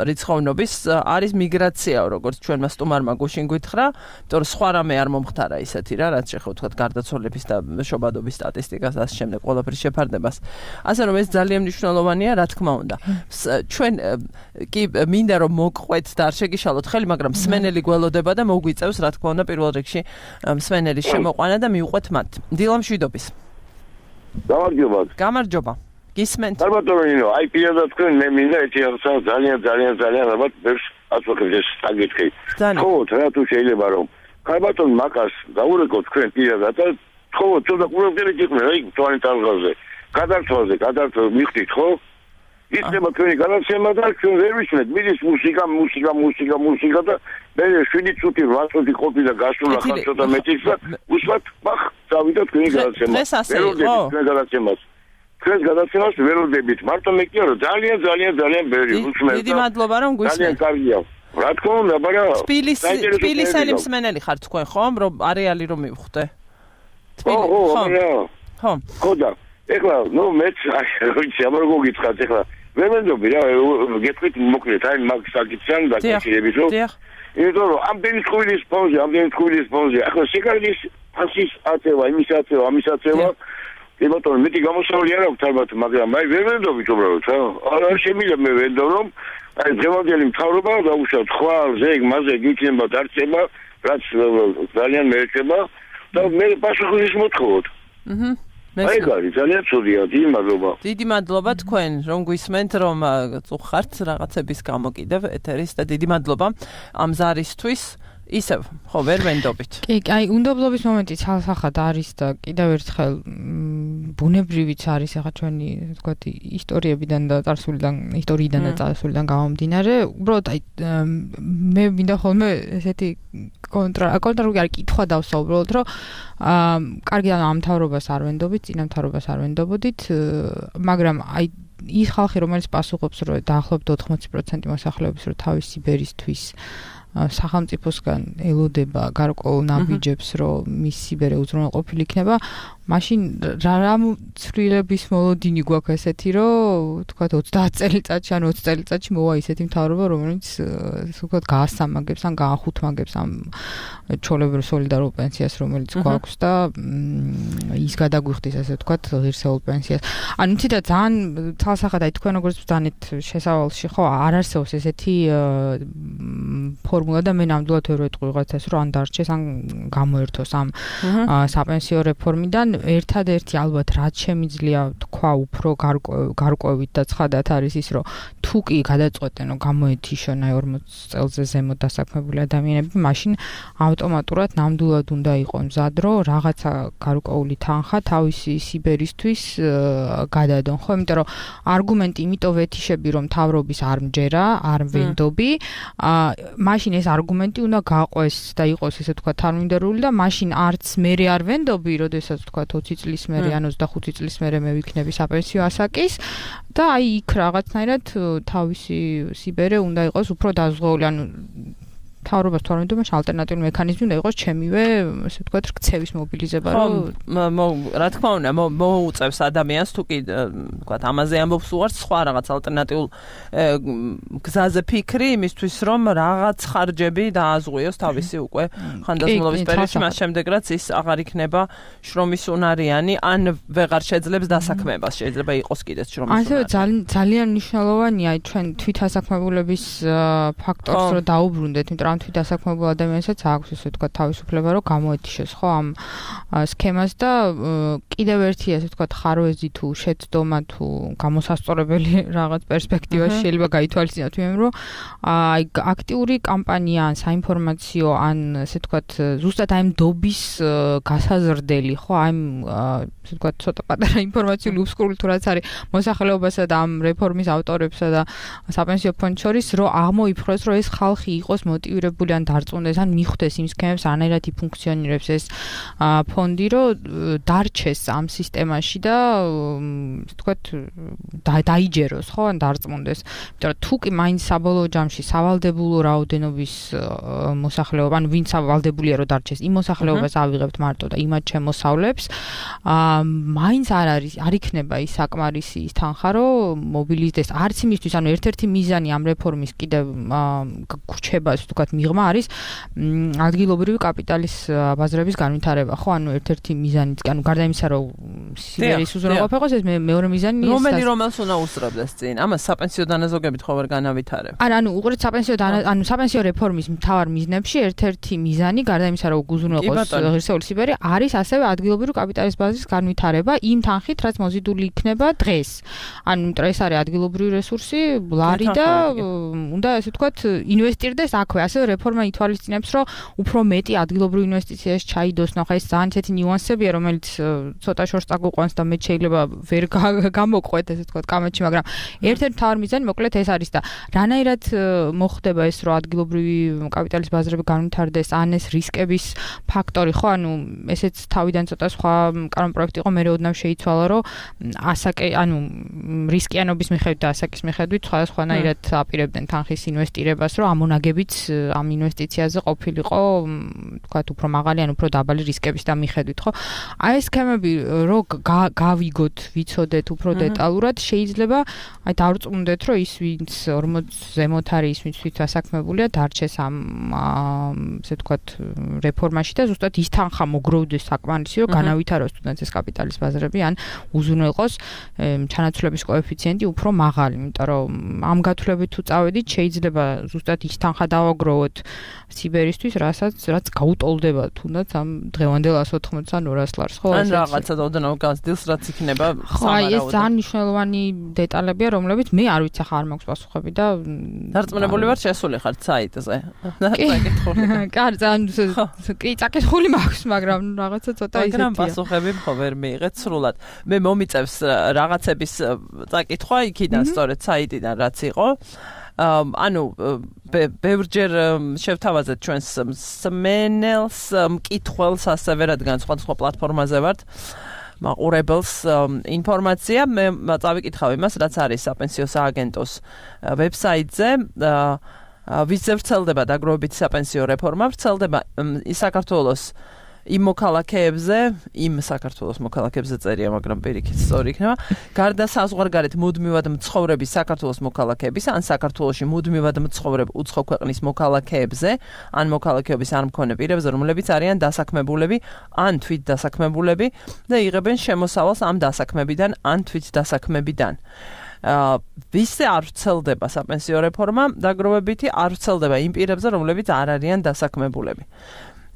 რიცხოვნობის არის მიგრაცია, როგორც ჩვენმა სტუმარმა გუშინ გითხრა, იმიტომ რომ სხვა რამე არ მომხდარა ისეთი რა, რაც შეხო თქვა გარდაცვალების და შობადობის სტატისტიკას ასე შემდეგ ყველაფრის შეფარდებას. ასე რომ ეს ძალიან მნიშვნელოვანია, რა თქმა უნდა. ჩვენ კი მინდა რომ მოგყვეთ და არ შეგიშალოთ ხელი, მაგრამ მსმენელი გველოდება და მოგვიწევს რა თქმა უნდა პირველ რიგში მსმენელის შემოყვანა და მიუყვეთ მათ. დილა მშვიდობის. გამარჯობა. გამარჯობა. გისმენთ. ალბათო, აი პირადად თქვენ მე მინდა ერთი რაღაცა ძალიან ძალიან ძალიან ალბათ ბევრს აწუხებს ეს საკითხი. ხო, რა თუ შეიძლება რომ ალბათო მაგას გაურეკოთ თქვენ პირადად და ხო, ცოტა ყურადღებით იქნება, აი თვალით ალღაზე. გადართვაზე, გადართვაზე მიხდით, ხო? იქნება თქვენი გადაცემა და ჩვენ ვერ ვისმენთ, მიდის მუსიკა, მუსიკა, მუსიკა, მუსიკა და მე შვიდი წუთი, რვა წუთი ყოფილა გასულა ხარ ცოტა მეტიც და უსვათ ბახ, წავიდა თქვენი გადაცემა. ვერ ვდებით თქვენ გადაცემას. თქვენ გადაცემას ვერ ვდებით. მარტო მე კი არა, ძალიან ძალიან ძალიან ბევრი უსმენთ. დიდი მადლობა რომ გვისმენთ. ძალიან კარგია. რა თქმა უნდა, მაგრამ თბილისელი მსმენელი ხარ თქვენ, ხომ? რომ არეალი რომ მივხვდე. ხო, ხო, ხო. ხო და ეხლა, ნუ მეც ვიცი, ამერ გოგიცხათ ეხლა. ვერ მენდობი რა, გეტყვით მოკლედ, აი მაგ საკითხთან დაკავშირებით, რომ იმიტომ რომ ამდენი წყვილის პოზი, ამდენი წყვილის პოზი, ახლა სიგარეთის ფასის აწევა, იმის აწევა, ამის აწევა, ებატონ მეტი გამოსავალი არ აქვს ალბათ, მაგრამ აი ვერ მენდობი უბრალოდ, რა. არა შემიძლია მე ვენდო რომ აი დღევანდელი მთავრობა დაუშვათ ხვალ, ზეგ, მაზე გიქნება დარწება, რაც ძალიან მეერჩება და მე პასუხის მოთხოვოთ. აჰა. აი გარი ძალიან ცუდია, დიდი მადლობა. დიდი მადლობა თქვენ რომ გვისმენთ რომ წუხართ რაღაცების გამო კიდევ ეთერის და დიდი მადლობა ამ ზარისთვის. ისევ, ხო, ვერ ვენდობით. კი, აი, უნდობლობის მომენტი ცალსახად არის და კიდევ ერთხელ ბუნებრივიც არის ახლა ჩვენი, ვთქვათ, ისტორიებიდან და წარსულიდან, ისტორიიდან და წარსულიდან გამომდინარე, უბრალოდ აი მე მინდა ხოლმე ესეთი კონტრა, კონტრა არ კითხვა დავსვა უბრალოდ, რომ აა კარგი ამ მთავრობას არ ვენდობით, წინა მთავრობას არ ვენდობოდით, მაგრამ აი ის ხალხი, რომელიც პასუხობს, რომ დაახლოებით ოთხმოცი პროცენტი მოსახლეობის რომ თავისი ბერისთვის სახელმწიფოსგან ელოდება გარკვეულ ნაბიჯებს, რომ მის სიბერე უზრუნველყოფილი იქნება, მაშინ რა ცვლილების მოლოდინი გვაქვს ესეთი, რომ თქვათ ოცდაათ წელიწადში ან ოცი წელიწადში მოვა ისეთი მთავრობა, რომელიც თქვათ გაასამაგებს ან გაახუთმაგებს ამ ჩოლებრივ სოლიდარულ პენსიას, რომელიც გვაქვს და ის გადაგვიხდის ასე თქვათ ღირსეულ პენსიას. ანუ თითქოს ძალიან თვალსახად აი თქვენ როგორც ბრძანეთ შესავალში, ხო, არ არსებობს ესეთი ფორმულა და მე ნამდვილად ვერ ვეტყვი ვიღაცას, რომ ან დარჩეს, ან გამოერთოს ამ საპენსიო რეფორმიდან. ერთადერთი ალბათ რაც შემიძლია თქვა უფრო გარკვევით და ცხადად არის ის, რომ თუ კი გადაწყვეტენ, რომ გამოეთიშონ აი ორმოცი წელზე ზემოთ დასაქმებული ადამიანები, მაშინ ავტომატურად ნამდვილად უნდა იყოს მზად, რომ რაღაცა გარკვეული თანხა თავისი სიბერისთვის გადადონ, ხო? იმიტომ რომ არგუმენტი იმიტომ ვეთიშები, რომ მთავრობის არ მჯერა, არ ვენდობი, მაშინ ეს არგუმენტი უნდა გაყვეს და იყოს ესე თქვა თანმიმდევრული და მაშინ არც მე არ ვენდობი, როდესაც თქვა ოცი წლის მერე ან ოცდახუთი წლის მერე მე ვიქნები საპენსიო ასაკის და აი იქ რაღაცნაირად თავისი სიბერე უნდა იყოს უფრო დაზღვეული, ანუ მთავრობას თუ არ ვენდობ, მაშინ ალტერნატიული მექანიზმი უნდა იყოს ჩემივე, ესე ვთქვათ, ქცევის მობილიზება, რომ რა თქმა უნდა, მოუწევს ადამიანს თუ კი ვთქვათ, ამაზე ამბობს უარს სხვა რაღაც ალტერნატიულ გზაზე ფიქრი იმისთვის, რომ რაღაც ხარჯები დააზღვიოს თავისი უკვე ხანდაზმულობის პერიოდში, მას შემდეგ რაც ის აღარ იქნება შრომის უნარიანი, ან ვეღარ შეძლებს დასაქმებას, შეიძლება იყოს კიდეც შრომის უნარიანი. ასევე ძალიან მნიშვნელოვანია ჩვენ თვითდასაქმებულების ფაქტორს რომ დაუბრუნდეთ, იმიტომ რომ თვითდასაქმებულ ადამიანსაც აქვს ესე ვთქვათ თავისუფლება რომ გამოეთიშოს ხო ამ სქემას და კიდევ ერთი ასე ვთქვათ ხარვეზი თუ შეცდომა თუ გამოსასწორებელი რაღაც პერსპექტივაში შეიძლება გაითვალისწინოთ იმ რომ აი აქტიური კამპანია ან საინფორმაციო ან ასე ვთქვათ ზუსტად აი მდობის გასაზრდელი ხო აი ასე ვთქვათ ცოტა პატარა ინფორმაციული უსკრული თუ რაც არის მოსახლეობასა და ამ რეფორმის ავტორებსა და საპენსიო ფონდს შორის რომ აღმოიფროს რომ ეს ხალხი იყოს მოტივირებული აქტივირებული ან დარწმუნდეს ან მიხვდეს იმ სქემებს რანაირად იფუნქციონირებს ეს ფონდი, რომ დარჩეს ამ სისტემაში და თქვათ დაიჯეროს, ხო, ან დარწმუნდეს. იმიტომ რომ თუ კი მაინც საბოლოო ჯამში სავალდებულო რაოდენობის მოსახლეობა, ანუ ვინც სავალდებულია რომ დარჩეს, იმ მოსახლეობას ავიღებთ მარტო და იმათ შემოსავლებს, აა მაინც არ არის, არ იქნება ის საკმარისი ის თანხა, რომ მობილიზდეს არც იმისთვის, ანუ ერთ-ერთი მიზანი ამ რეფორმის კიდევ გრჩებას თქვათ მიღმა არის ადგილობრივი კაპიტალის ბაზრების განვითარება, ხო, ანუ ერთ-ერთი მიზანიც, ანუ გარდა იმისა, რომ სიბერის უზრუნველყოფა იყოს, ეს მეორე მიზანი ის რომელი რომელს უნდა უსწრებდეს წინ? ამას საპენსიო დანაზოგებით ხო ვერ განავითარებ? არა, ანუ უყურეთ საპენსიო ანუ საპენსიო რეფორმის მთავარ მიზნებში ერთ-ერთი მიზანი, გარდა იმისა, რომ უზრუნველყოს ღირსეული სიბერი, არის ასევე ადგილობრივი კაპიტალის ბაზრის განვითარება იმ თანხით, რაც მოზიდული იქნება დღეს. ანუ ეს არის ადგილობრივი რესურსი, ლარი და უნდა ესე ვთქვათ, ინვესტირდეს აქვე. ასევე რეფორმა ითვალისწინებს, რომ უფრო მეტი ადგილობრივ ინვესტიციაში ჩაიდოს. ნახე, ეს ძალიან ისეთი ნიუანსებია, რომელიც ცოტა შორს წაგუყვანს და მე შეიძლება ვერ გამოგყვეთ, ესე ვთქვათ, კამათში, მაგრამ ერთ-ერთი მთავარი მიზანი მოკლედ ეს არის და რანაირად მოხდება ეს, რომ ადგილობრივი კაპიტალის ბაზრები განვითარდეს, ან ეს რისკების ფაქტორი, ხო, ანუ ესეც თავიდან ცოტა სხვა კანონ პროექტი იყო, მე ოდნავ შეიცვალა, რომ ასაკე, ანუ რისკიანობის მიხედვით და ასაკის მიხედვით სხვადასხვანაირად აპირებდნენ თანხის ინვესტირებას, რომ ამონაგებიც ამ ინვესტიციაზე ყოფილიყო, თქვათ, უფრო მაღალი ან უფრო დაბალი რისკების და მიხედვით, ხო? აი ეს სქემები რო გავიგოთ, ვიცოდეთ უფრო დეტალურად, შეიძლება აი დავწუნდეთ, რომ ის ვინც ორმოც ზემოთ არის, ის ვინც თვით დასაქმებულია, დარჩეს ამ ესე ვთქვათ რეფორმაში და ზუსტად ის თანხა მოგროვდეს საკმარისი, რომ განავითაროს თუნდაც ეს კაპიტალის ბაზრები ან უზრუნველყოს ჩანაცვლების კოეფიციენტი უფრო მაღალი, იმიტომ რომ ამ გათვლებით თუ წავედით, შეიძლება ზუსტად ის თანხა დავაგროვოთ სიბერისთვის, რასაც რაც გაუტოლდება თუნდაც ამ დღევანდელ εκατს ოთხმოცს ან ორას ლარს, ხო? ან რაღაცა ოდნავ განსდილს, რაც იქნება სამარაუდო. აი ეს ძალიან მნიშვნელოვანი დეტალებია, რომლებიც მე არ ვიცი, ხა არ მაქვს პასუხები და დარწმუნებული ვარ, შესული ხარ საიტზე. კარ, ძალიან კი, წაკითხული მაქვს, მაგრამ რაღაცა ცოტა ისეთია. მაგრამ პასუხები ხო ვერ მიიღეთ სრულად. მე მომიწევს რაღაცების წაკითხვა იქიდან, სწორედ საიტიდან რაც იყო. ანუ ბევრჯერ შევთავაზეთ ჩვენს მსმენელს, მკითხველს ასევე, რადგან სხვადასხვა პლატფორმაზე ვართ, მაყურებელს ინფორმაცია, მე წავიკითხავ იმას, რაც არის საპენსიო სააგენტოს ვებსაიტზე. ვიზზე ვრცელდება დაგროვებითი საპენსიო რეფორმა, ვრცელდება საქართველოს იმ მოქალაქეებზე, იმ საქართველოს მოქალაქეებზე წერია, მაგრამ პირიქით სწორი იქნება. გარდა საზღვარგარეთ მუდმივად მცხოვრები საქართველოს მოქალაქეების, ან საქართველოში მუდმივად მცხოვრებ უცხო ქვეყნის მოქალაქეებზე, ან მოქალაქეობის არ მქონე პირებზე, რომლებიც არიან დასაქმებულები, ან თვით დასაქმებულები და იღებენ შემოსავალს ამ დასაქმებიდან, ან თვით დასაქმებიდან. ვისზე არ ვრცელდება საპენსიო რეფორმა, დაგროვებითი არ ვრცელდება იმ პირებზე, რომლებიც არ არიან დასაქმებულები.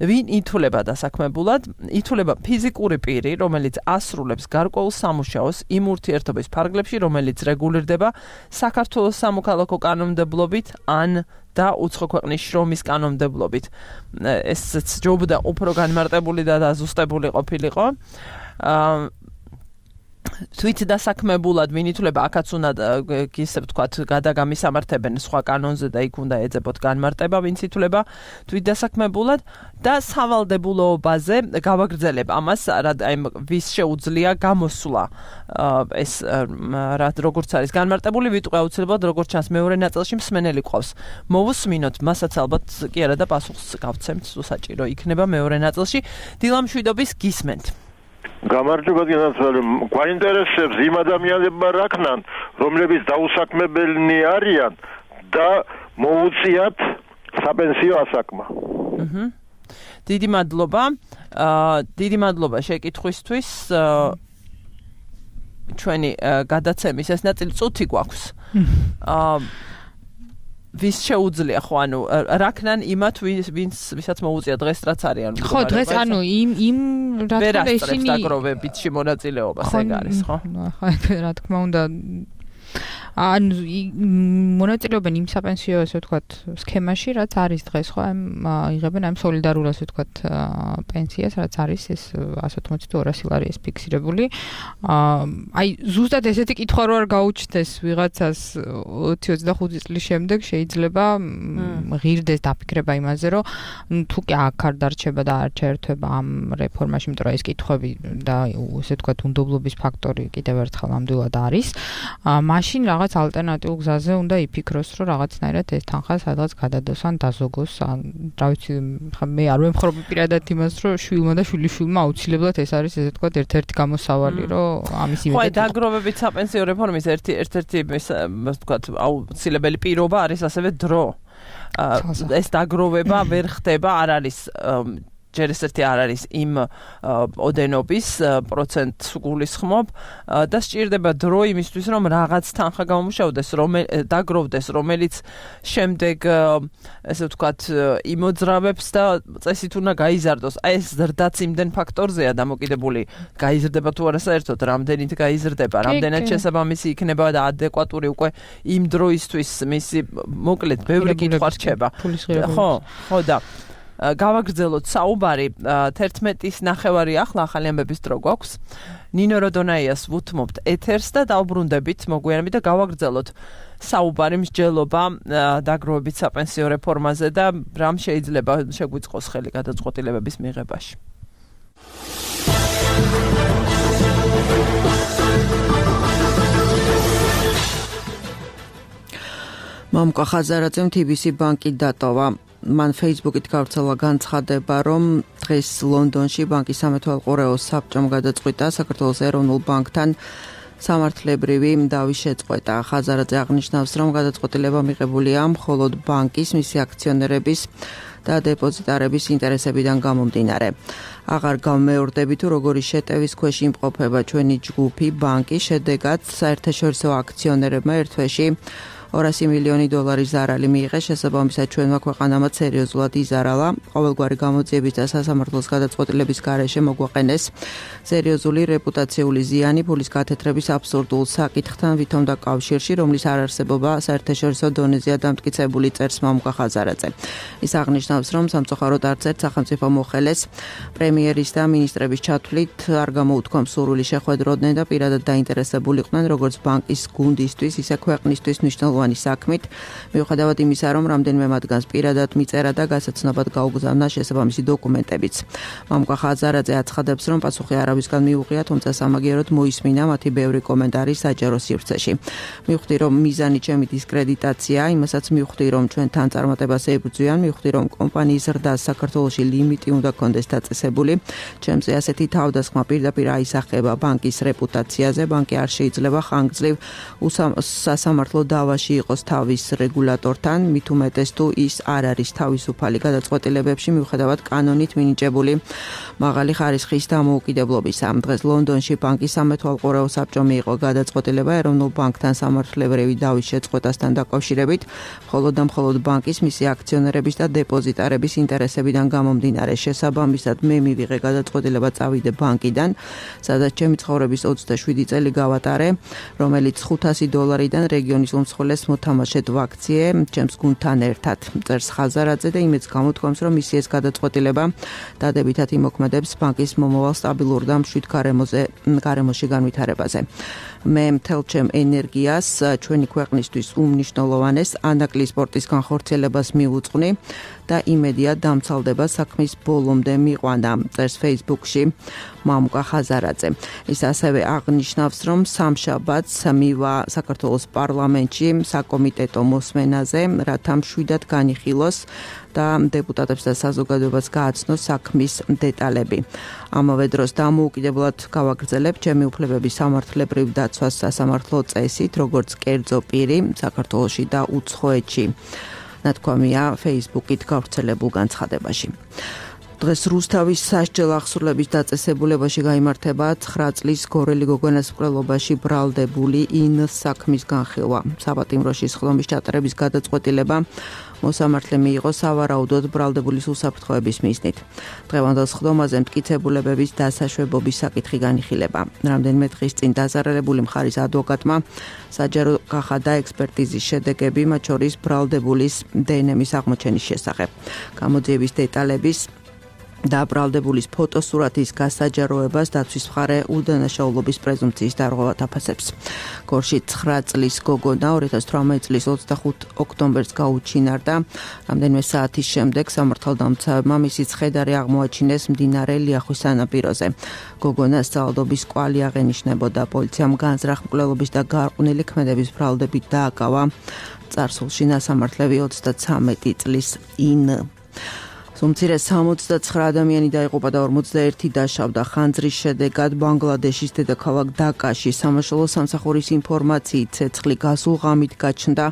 ვინ ითვლება დასაქმებულად? ითვლება ფიზიკური პირი, რომელიც ასრულებს გარკვეულ სამუშაოს იმ ურთიერთობის ფარგლებში, რომელიც რეგულირდება საქართველოს სამოქალაქო კანონმდებლობით ან და უცხო ქვეყნის შრომის კანონმდებლობით. ესეც ჯობდა უფრო განმარტებული და დაზუსტებული ყოფილიყო. თვით დასაქმებულად ვინ ითვლება, აქაც უნდა ისე ვთქვათ, გადაგამისამართებენ სხვა კანონზე და იქ უნდა ეძებოთ განმარტება, ვინც ითვლება თვით დასაქმებულად და სავალდებულოობაზე გავაგრძელებ ამას, აი ვის შეუძლია გამოსვლა ეს როგორც არის განმარტებული, ვიტყვი აუცილებლად როგორც ჩანს მეორე ნაწილში მსმენელი ყავს. მოვუსმინოთ, მასაც ალბათ კი არა და პასუხს გავცემთ, საჭირო იქნება მეორე ნაწილში. დილამშვიდობის გისმენთ. გამარჯობა გენაცვალე, გვაინტერესებს იმ ადამიანებმა რაკნან, რომლებიც დაუსაქმებელნი არიან და მოუწიათ საპენსიო ასაკმა. აჰა. დიდი მადლობა. აა დიდი მადლობა შეკითხვისთვის. ჩვენი გადაცემის ეს ნაწილი წუთი გვაქვს. აა ვის შეუძლია ხო, ანუ რაკნან იმათ ვინც ვისაც მოუწია დღეს რაც არის, ანუ ხო, დღეს ანუ იმ იმ რა თქმა უნდა ისინი დაგროვებითში მონაწილეობას ეგ არის, ხო? ხო, რა თქმა უნდა ან მონაწილეობენ იმ საპენსიო ასე ვთქვათ სქემაში, რაც არის დღეს ხო ამ იღებენ ამ სოლიდარულ ასე ვთქვათ პენსიას, რაც არის ეს εκατო ოცდაათი თუ ორასი ლარი ეს ფიქსირებული. აი ზუსტად ესეთი კითხვა რო არ გაუჩნდეს ვიღაცას ოცი ოცდახუთი წლის შემდეგ შეიძლება ღირდეს დაფიქრება იმაზე, რომ თუ კი აქ არ დარჩება და არ ჩაერთვება ამ რეფორმაში, იმიტომ რომ ეს კითხვები და ესე ვთქვათ უნდობლობის ფაქტორი კიდევ ერთხელ ნამდვილად არის. მაშინ რაღაც ალტერნატიულ გზაზე უნდა იფიქროს, რომ რაღაცნაირად ეს თანხა სადღაც გადადოს ან დაზოგოს, ან რა ვიცი, მე არ ვემხრობი პირადად იმას, რომ შვილმა და შვილიშვილმა აუცილებლად ეს არის ესე ვთქვათ ერთ-ერთი გამოსავალი, რომ ამის იმედად. ხო, დაგროვებით საპენსიო რეფორმის ერთი ერთ-ერთი ესე ვთქვათ აუცილებელი პირობა არის ასევე დრო. ეს დაგროვება ვერ ხდება, არ არის ჯერ ესეთი არ არის იმ ოდენობის პროცენტს გულისხმობ და სჭირდება დრო იმისთვის, რომ რაღაც თანხა გამომუშავდეს, დაგროვდეს, რომელიც შემდეგ ესე ვთქვათ იმოძრავებს და წესით უნდა გაიზარდოს. აი ეს ზრდაც იმდენ ფაქტორზეა დამოკიდებული, გაიზრდება თუ არა საერთოდ, რამდენით გაიზრდება, რამდენად შესაბამისი იქნება და ადეკვატური უკვე იმ დროისთვის მისი მოკლედ ბევრი კითხვა რჩება. ხო, ხო და გავაგრძელოთ საუბარი თერთმეტის ნახევარი ახლა ახალი ამბების დრო გვაქვს. ნინო როდონაიას ვუთმობთ ეთერს და დავბრუნდებით მოგვიანებით და გავაგრძელოთ საუბარი მსჯელობა დაგროვებით საპენსიო რეფორმაზე და რამ შეიძლება შეგვიწყოს ხელი გადაწყვეტილებების მიღებაში. მამუკა ხაზარაძემ თი ბი სი ბანკი დატოვა. მან Facebook-ით გავრცელა განცხადება, რომ დღეს ლონდონში ბანკის სამეთვალყურეო საბჭომ გადაწყვიტა საქართველოს ეროვნულ ბანკთან სამართლებრივი დავი შეწყვეტა. ხაზარაძე აღნიშნავს, რომ გადაწყვეტილება მიღებულია მხოლოდ ბანკის მისი აქციონერების და დეპოზიტარების ინტერესებიდან გამომდინარე. აღარ გავმეორდები თუ როგორი შეტევის ქვეშ იმყოფება ჩვენი ჯგუფი ბანკი, შედეგად საერთაშორისო აქციონერებმა ერთ თვეში ორასი მილიონი დოლარის ზარალი მიიღეს, შესაბამისად ჩვენმა ქვეყანამაც სერიოზულად იზარალა. ყოველგვარი გამოძიების და სასამართლოს გადაწყვეტილების გარეშე მოგვაყენეს სერიოზული რეპუტაციული ზიანი ფულის გათეთრების აბსურდულ საკითხთან ვითომ და კავშირში, რომლის არარსებობა საერთაშორისო დონეზეა დამტკიცებული, წერს მამუკა ხაზარაძე. ის აღნიშნავს, რომ სამწუხაროდ არც ერთ სახელმწიფო მოხელეს პრემიერის და მინისტრების ჩათვლით არ გამოუთქვამ სურვილი შეხვედროდნენ და პირადად დაინტერესებულიყვნენ როგორც ბანკის გუნდისთვის, ისე ქვეყნისთვის მნიშვნელოვანი საქმით, მიუხედავად იმისა, რომ რამდენიმე მათგანს პირადად მიწერა და გასაცნობად გაუგზავნა შესაბამისი დოკუმენტებიც. მამუკა ხაზარაძე აცხადებს, რომ პასუხი არავისგან მიუღია, თუმცა სამაგიეროდ მოისმინა მათი ბევრი კომენტარი საჯარო სივრცეში. მივხვდი, რომ მიზანი ჩემი დისკრედიტაციაა, იმასაც მივხვდი, რომ ჩვენთან წარმატებას ებრძვიან, მივხვდი, რომ კომპანიის ზრდას საქართველოში ლიმიტი უნდა კონდეს დაწესებული. ჩემზე ასეთი თავდასხმა პირდაპირ აისახება ბანკის რეპუტაციაზე, ბანკი არ შეიძლება ხანგრძლივ სასამართლო დავაში იყოს თავის რეგულატორთან, მით უმეტეს თუ ის არ არის თავისუფალი გადაწყვეტილებებში, მიუხედავად კანონით მინიჭებული მაღალი ხარისხის დამოუკიდებლობისა. დღეს ლონდონში ბანკის სამეთვალყურეო საბჭომ მიიღო გადაწყვეტილება ეროვნულ ბანკთან სამართლებრივი დავის შეწყვეტასთან დაკავშირებით, მხოლოდ და მხოლოდ ბანკის მისი აქციონერების და დეპოზიტარების ინტერესებიდან გამომდინარე. შესაბამისად მე მივიღე გადაწყვეტილება წავიდე ბანკიდან, სადაც ჩემი ცხოვრების ოცდაშვიდი წელი გავატარე, რომელიც ხუთასი დოლარიდან რეგიონის უმსხვილეს მოთამაშედ ვაქციე ჩემს გუნდთან ერთად. წერს ხაზარაძე და იმედს გამოთქვამს, რომ მისი ეს გადაწყვეტილება დადებითად იმოქმედებს ბანკის მომავალ სტაბილურ და მშვიდ გარემოზე გარემოში განვითარებაზე. მე მთელ ჩემ ენერგიას ჩვენი ქვეყნისთვის უმნიშვნელოვანეს ანაკლი სპორტის განხორციელებას მივუძღვნი და იმედია დამცალდება საქმის ბოლომდე მიყვანა, წერს Facebook-ში მამუკა ხაზარაძე. ის ასევე აღნიშნავს, რომ სამშაბათს მივა საქართველოს პარლამენტში საკომიტეტო მოსმენაზე, რათა მშვიდად განიხილოს და დეპუტატებს და საზოგადოებას გააცნოს საქმის დეტალები. ამავე დროს დამოუკიდებლად გავაგრძელებ ჩემი უფლებების სამართლებრივ დაცვას სასამართლო წესით, როგორც კერძო პირი საქართველოში და უცხოეთში. ნათქვამია Facebook-ით გავრცელებულ განცხადებაში. დღეს რუსთავის სასჯელ აღსრულების დაწესებულებაში გაიმართება ცხრა წლის გორელი გოგონას მკვლელობაში ბრალდებული ინს საქმის განხილვა. საპატიმროში სხდომის ჩატარების გადაწყვეტილება მოსამართლე მიიღო სავარაუდოდ ბრალდებული უსაფრთხოების მიზნით. დღევანდელ სხდომაზე მტკიცებულებების დასაშვებობის საკითხი განიხილება. რამდენიმე დღის წინ დაზარალებული მხარის ადვოკატმა საჯარო გახადა ექსპერტიზის შედეგები, მათ შორის ბრალდებულის დე ენ ემის აღმოჩენის შესახებ. გამოძიების დეტალების და ბრალდებულის ფოტოსურათის გასაჯაროებას დაცვის მხარე უდანაშაულობის პრეზუმპციის დარღვევად აფასებს. გორში ცხრა წლის გოგონა ორი ათას თვრამეტი წლის ოცდახუთი ოქტომბერს გაუჩინარდა. რამდენიმე საათის შემდეგ სამართალდამცავებმა მისი ცხედარი აღმოაჩინეს მდინარე ლიახვის სანაპიროზე. გოგონას ძალადობის კვალი აღენიშნებოდა. პოლიციამ განზრახ მკვლელობის და გარყვნილი ქმედების ბრალდებით დააკავა წარსულში ნასამართლები ოცდათვრამეტი წლის ინ. უმცირე სამოცდაცხრა ადამიანი დაიღუპა და ორმოცდაერთი დაშავდა ხანძრის შედეგად ბანგლადეშის დედაქალაქ დაკაში. სამაშველო სამსახურის ინფორმაციით ცეცხლი გასულ ღამით გაჩნდა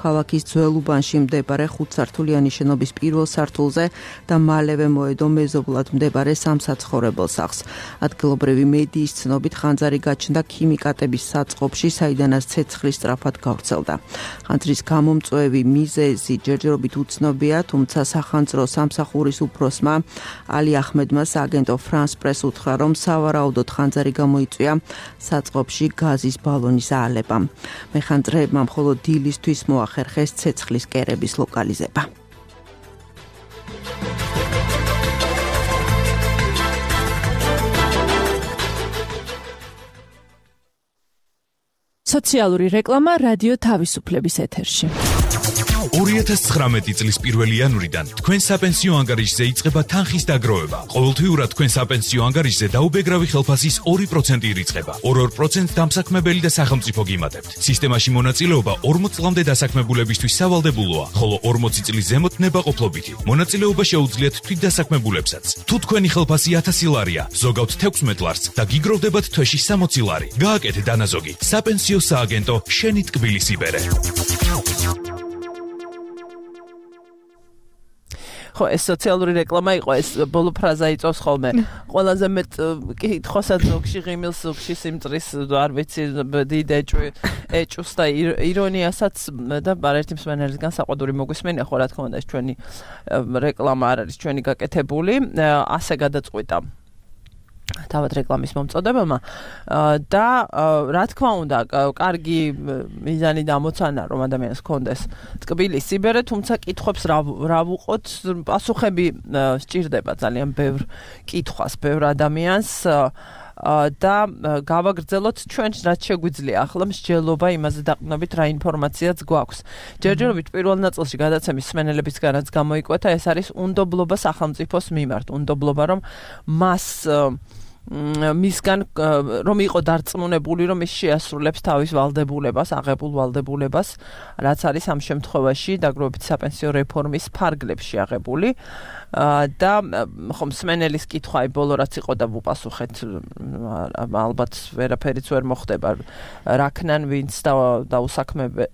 ქალაქის ძველ უბანში მდებარე ხუთსართულიანი შენობის პირველ სართულზე და მალევე მოედო მეზობლად მდებარე სამსაცხოვრებელ სახლს. ადგილობრივი მედიის ცნობით ხანძარი გაჩნდა ქიმიკატების საწყობში, საიდანაც ცეცხლი სწრაფად გავრცელდა. ხანძრის გამომწვევი მიზეზი ჯერჯერობით უცნობია, თუმცა სახანძრო სამსახურის ურის უფროსმა ალი ახმედმა სააგენტო ფრანს პრეს უთხრა, რომ სავარაუდოდ ხანძარი გამოიწვია საწყობში გაზის ბალონის აალებამ. მეხანძრეებმა მხოლოდ დილისთვის მოახერხეს ცეცხლის კერების ლოკალიზება. სოციალური რეკლამა რადიო თავისუფლების ეთერში. ორი ათას ცხრამეტი წლის პირველი იანვრიდან თქვენ საპენსიო ანგარიშზე იწყება თანხის დაგროვება. ყოველთვიურად თქვენ საპენსიო ანგარიშზე დაუბეგრავი ხელფასის ორი პროცენტი ირიცხება. ორ-ორ პროცენტს დამსაქმებელი და სახელმწიფო გიმატებთ. სისტემაში მონაწილეობა ორმოც წლამდე დასაქმებულებისთვის სავალდებულოა, ხოლო ორმოცი წლის ზემოთ ნებაყოფლობითი. მონაწილეობა შეუძლიათ თვითდასაქმებულებსაც. თუ თქვენი ხელფასი ათასი ლარია, ზოგავთ თექვსმეტ ლარს და გიგროვდებათ თვეში სამოცი ლარი. გააკეთე დანაზოგი. საპენსიო სააგენტო შენი ტკბილი სიბერე. ხო, ეს სოციალური რეკლამა იყო, ეს ბოლო ფრაზა იწვევს ხოლმე. ყველაზე მეტ კითხვასაც ზოგში ღიმილს, ზოგში სიმწრის, არ ვიცი, დიდ ეჭვს და ირონიასაც და არაერთი მსმენელისგან საყვედური მოგვისმენია, ხო, რა თქმა უნდა, ეს ჩვენი რეკლამა არ არის ჩვენი გაკეთებული, ასე გადაწყვიტა თავად რეკლამის მომწოდებელმა და რა თქმა უნდა, კარგი მიზანი დამოცანა, რომ ადამიანს ჰქონდეს ტკბილი სიბერე, თუმცა კითხვებს რა ვუყოთ, პასუხები სჭირდება ძალიან ბევრ კითხვას, ბევრ ადამიანს და გავაგრძელოთ ჩვენ რაც შეგვიძლია ახლა მსჯელობა იმაზე დაყრდნობით რა ინფორმაციაც გვაქვს. ჯერჯერობით პირველ ნაწილში გადაცემის მსმენელებისგანაც გამოიკვეთა, ეს არის უნდობლობა სახელმწიფოს მიმართ, უნდობლობა რომ მას მისგან რომ იყო დარწმუნებული, რომ ის შეასრულებს თავის ვალდებულებას, აღებულ ვალდებულებას, რაც არის ამ შემთხვევაში დაგროვებით საპენსიო რეფორმის ფარგლებში აღებული და ხომ მსმენელის კითხვა ბოლო რაც იყო და ვუპასუხეთ, ალბათ ვერაფერიც ვერ მოხდება. რაკნან ვინც და უსაქმე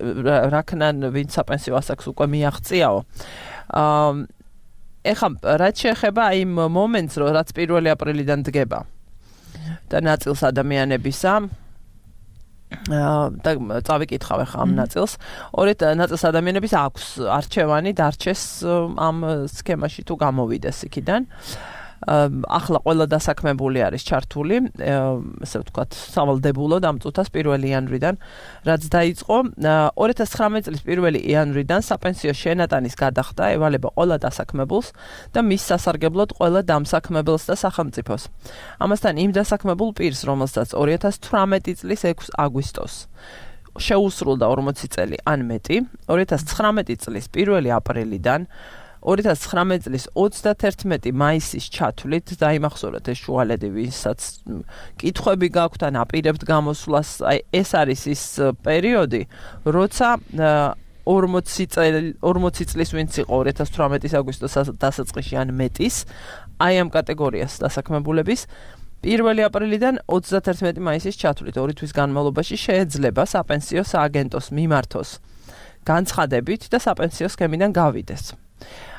რაკნან ვინც საპენსიო ასაკს უკვე მიაღწიაო. ეხლა რაც შეეხება იმ მომენტს, რაც პირველი აპრილიდან დგება და ნაწილს ადამიანებისა და წავიკითხავ ახლა ამ ნაწილს. ორი ნაწილს ადამიანების აქვს არჩევანი დარჩეს ამ სქემაში თუ გამოვიდეს იქიდან. ახლა ყველა დასაქმებული არის ჩართული, ესე ვთქვათ, სავალდებულოდ ამ წუთას პირველი იანვრიდან, რაც დაიწყო ორი ათას ცხრამეტი წლის პირველი იანვრიდან საპენსიო შენატანის გადახდა ევალება ყველა დასაქმებულს და მის სასარგებლოდ ყველა დამსაქმებელს და სახელმწიფოს. ამასთან იმ დასაქმებულ პირს, რომელსაც ორი ათას თვრამეტი წლის ექვსი აგვისტოს შეუსრულდა ორმოცი წელი ან მეტი, ორი ათას ცხრამეტი წლის პირველი აპრილიდან ორი ათას ცხრამეტი წლის ოცდათერთმეტი მაისის ჩათვლით დაიმახსოვრეთ ეს შუალედი, ვისაც კითხვები გაქვთ ან აპირებთ გამოსვლას, აი ეს არის ის პერიოდი, როცა ორმოცი წლის ვინც იყო ორი ათას თვრამეტის აგვისტოს დასაწყისში ან მეტის, აი ამ კატეგორიას დასაქმებულების პირველი აპრილიდან ოცდათერთმეტი მაისის ჩათვლით ორი თვის განმავლობაში შეეძლება საპენსიო სააგენტოს მიმართოს განცხადებით და საპენსიო სქემიდან გავიდეს.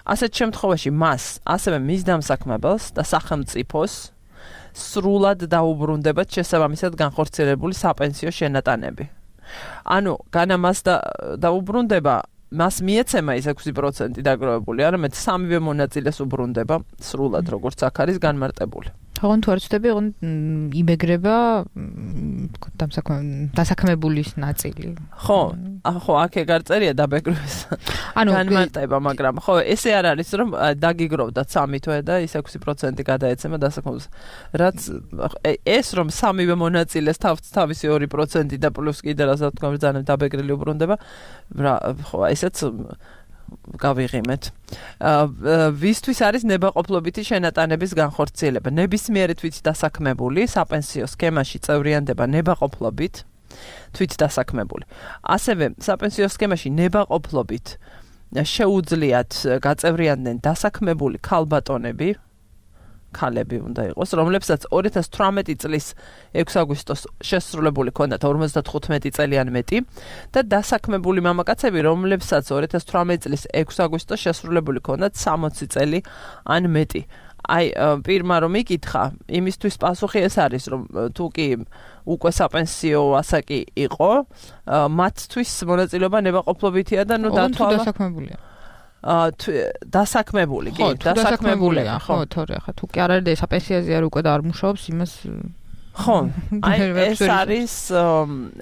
ასეთ შემთხვევაში მას, ასევე მის დამსაქმებელს და სახელმწიფოს სრულად დაუბრუნდებათ შესაბამისად განხორციელებული საპენსიო შენატანები. ანუ განა მას დაუბრუნდება მას მიეცემა ის ექვსი პროცენტი დაგროვებული, არამედ სამივე მონაწილეს უბრუნდება სრულად როგორც აქ არის განმარტებული. ხომ თუ არ ვწდები, ოღონ იმეგრება დასაქმებულის ნაწილი. ხო, ხო, აქ ეგ არ წერია დაბეგროს. ანუ განმარტება, მაგრამ ხო, ესე არ არის რომ დაგიგროვდათ სამი თვე და ის ექვსი პროცენტი გადაეცემა დასაქმებულს. რაც ეს რომ სამივე მონაწილეს თავისი ორი პროცენტი და პლუს კიდე რასაც თქვა ბრძანებ დაბეგრილი უბრუნდება, ხო, ესეც გავიღიმეთ. ვისთვის არის ნებაყოფლობითი შენატანების განხორციელება? ნებისმიერი თვით დასაქმებული საპენსიო სქემაში წევრიანდება ნებაყოფლობით თვით დასაქმებული. ასევე საპენსიო სქემაში ნებაყოფლობით შეუძლიათ გაწევრიანდნენ დასაქმებული ქალბატონები, ქალები უნდა იყოს, რომლებსაც ორი ათას თვრამეტი წლის ექვსი აგვისტოს შესრულებული ჰქონდათ ორმოცდათხუთმეტი წელი ან მეტი და დასაქმებული მამაკაცები, რომლებსაც ორი ათას თვრამეტი წლის ექვსი აგვისტოს შესრულებული ჰქონდათ სამოცი წელი ან მეტი. აი, პირმა რომ იკითხა, იმისთვის პასუხი ეს არის, რომ თუ კი უკვე საპენსიო ასაკი იყო, მათთვის მონაწილეობა ნებაყოფლობითია და ნუ დათვალა დასაქმებულია. დასაქმებული, კი, დასაქმებულია, ხო, თორე, ხა თუ კი არ არის საპენსიაზე არ უკვე და არ მუშაობს, იმას ხო, აი ეს არის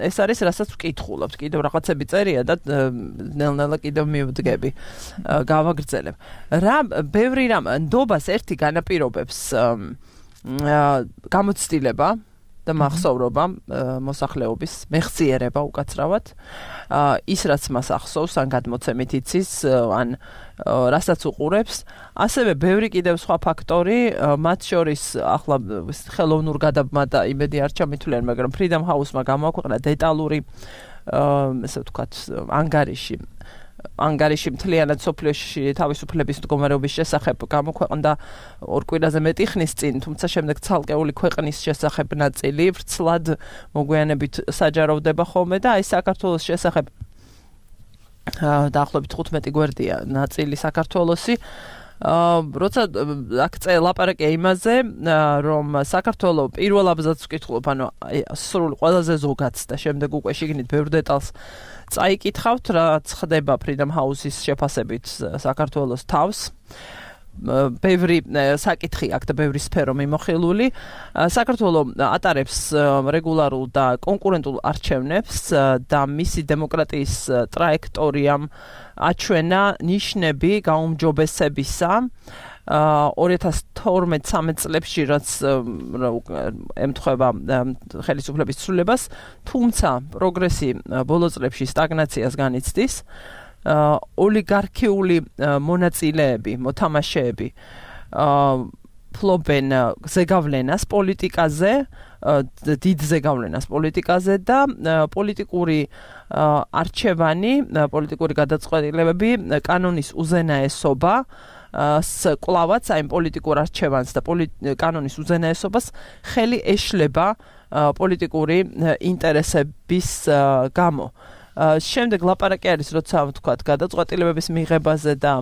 ეს არის რასაც ვკითხულობთ, კიდევ რაღაცები წერია და ნელ-ნელა კიდევ მივდგები, გავაგრძელებ. რა ბევრი რამ ნდობას ერთი განაპირობებს გამოცდილება და მახსოვრობა მოსახლეობის მეხსიერება უკაცრავად ის რაც მას ახსოვს ან გადმოცემით იცის ან რასაც უყურებს ასევე ბევრი კიდევ სხვა ფაქტორი მათ შორის ახლა ხელოვნურ გადაბმა და იმედი არ ჩამითვლიან მაგრამ Freedom House-მა გამოაქვეყნა დეტალური ესე ვთქვათ ანგარიში ანგარიში მთლიანად სოფლიოში თავისუფლების მდგომარეობის შესახებ გამოქვეყნდა ორ კვირაზე მეტი ხნის წინ, თუმცა შემდეგ ცალკეული ქვეყნის შესახებ ნაწილი ვრცლად მოგვიანებით საჯაროვდება ხოლმე და აი საქართველოს შესახებ დაახლოებით თხუთმეტი გვერდია ნაწილი საქართველოსი როცა აქ ლაპარაკია იმაზე რომ საქართველოს პირველ აბზაცს ვკითხულობ ანუ სრულ ყველაზე ზოგადს და შემდეგ უკვე შიგნით ბევრ დეტალს წაიკითხავთ რაც ხდება Freedom House-ის შეფასებით საქართველოს თავს ბევრი საკითხი აქ და ბევრი სფერო მიმოხილული საქართველოს ატარებს რეგულარულ და კონკურენტულ არჩევნებს და მისი დემოკრატიის ტრაექტორიამ აჩვენა ნიშნები გაუმჯობესებისა ორი ათას თორმეტ ცხრამეტ წლებში რაც ემთხვევა ხელისუფლების ცვლილებას თუმცა პროგრესი ბოლო წლებში სტაგნაციას განიცდის ოლიგარქიული მონაწილეები მოთამაშეები ფლობენ ზეგავლენას პოლიტიკაზე დიდ ზეგავლენას პოლიტიკაზე და პოლიტიკური არჩევანი პოლიტიკური გადაწყვეტილებები კანონის უზენაესობა კლავაც აი პოლიტიკურ არჩევანს და კანონის უზენაესობას ხელი ეშლება პოლიტიკური ინტერესების გამო შემდეგ ლაპარაკი არის როცა ვთქვათ გადაწყვეტილებების მიღებაზე და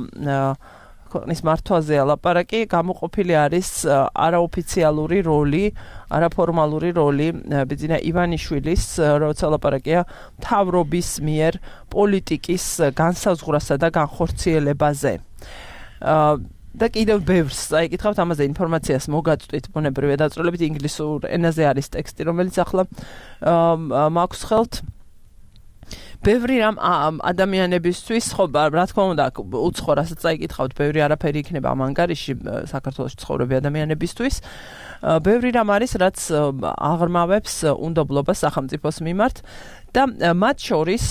ქვეყნის მართვაზეა ლაპარაკი გამოყოფილი არის არაოფიციალური როლი არაფორმალური როლი ბიძინა ივანიშვილის როცა ლაპარაკია მთავრობის მიერ პოლიტიკის განსაზღვრასა და განხორციელებაზე და კიდევ ბევრს აიკითხავთ ამაზე ინფორმაციას მოგაწვით ბუნებრივი დაწვრილებით ინგლისურ ენაზე არის ტექსტი რომელიც ახლა მაქვს ხელთ ბევრი რამ ადამიანებისთვის ხო რა თქმა უნდა უცხო რასაც წაიკითხავთ ბევრი არაფერი იქნება ამ ანგარიში საქართველოს ცხოვრები ადამიანებისთვის ბევრი რამ არის რაც აღრმავებს უნდობლობას სახელმწიფოს მიმართ და მათ შორის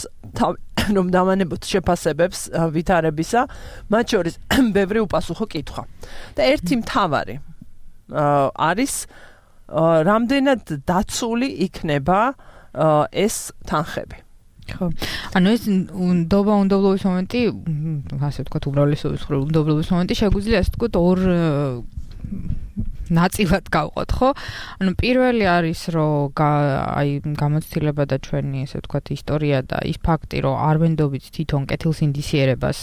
რომ დავანებოთ შეფასებებს ვითარებისა მათ შორის ბევრი უპასუხო კითხვა და ერთი მთავარი არის რამდენად დაცული იქნება ეს თანხები ხო ანუ ეს ნდობა უნდობლობის მომენტი ასე ვთქვათ უმრავლესობის მხრივ უნდობლობის მომენტი შეგვიძლია ასე ვთქვათ ორ ნაწილად გავყოთ, ხო? ანუ პირველი არის, რომ აი გამოცდილება და ჩვენი, ესე ვთქვათ, ისტორია და ის ფაქტი, რომ არ ვენდობით თვითონ კეთილს ინდისიერებას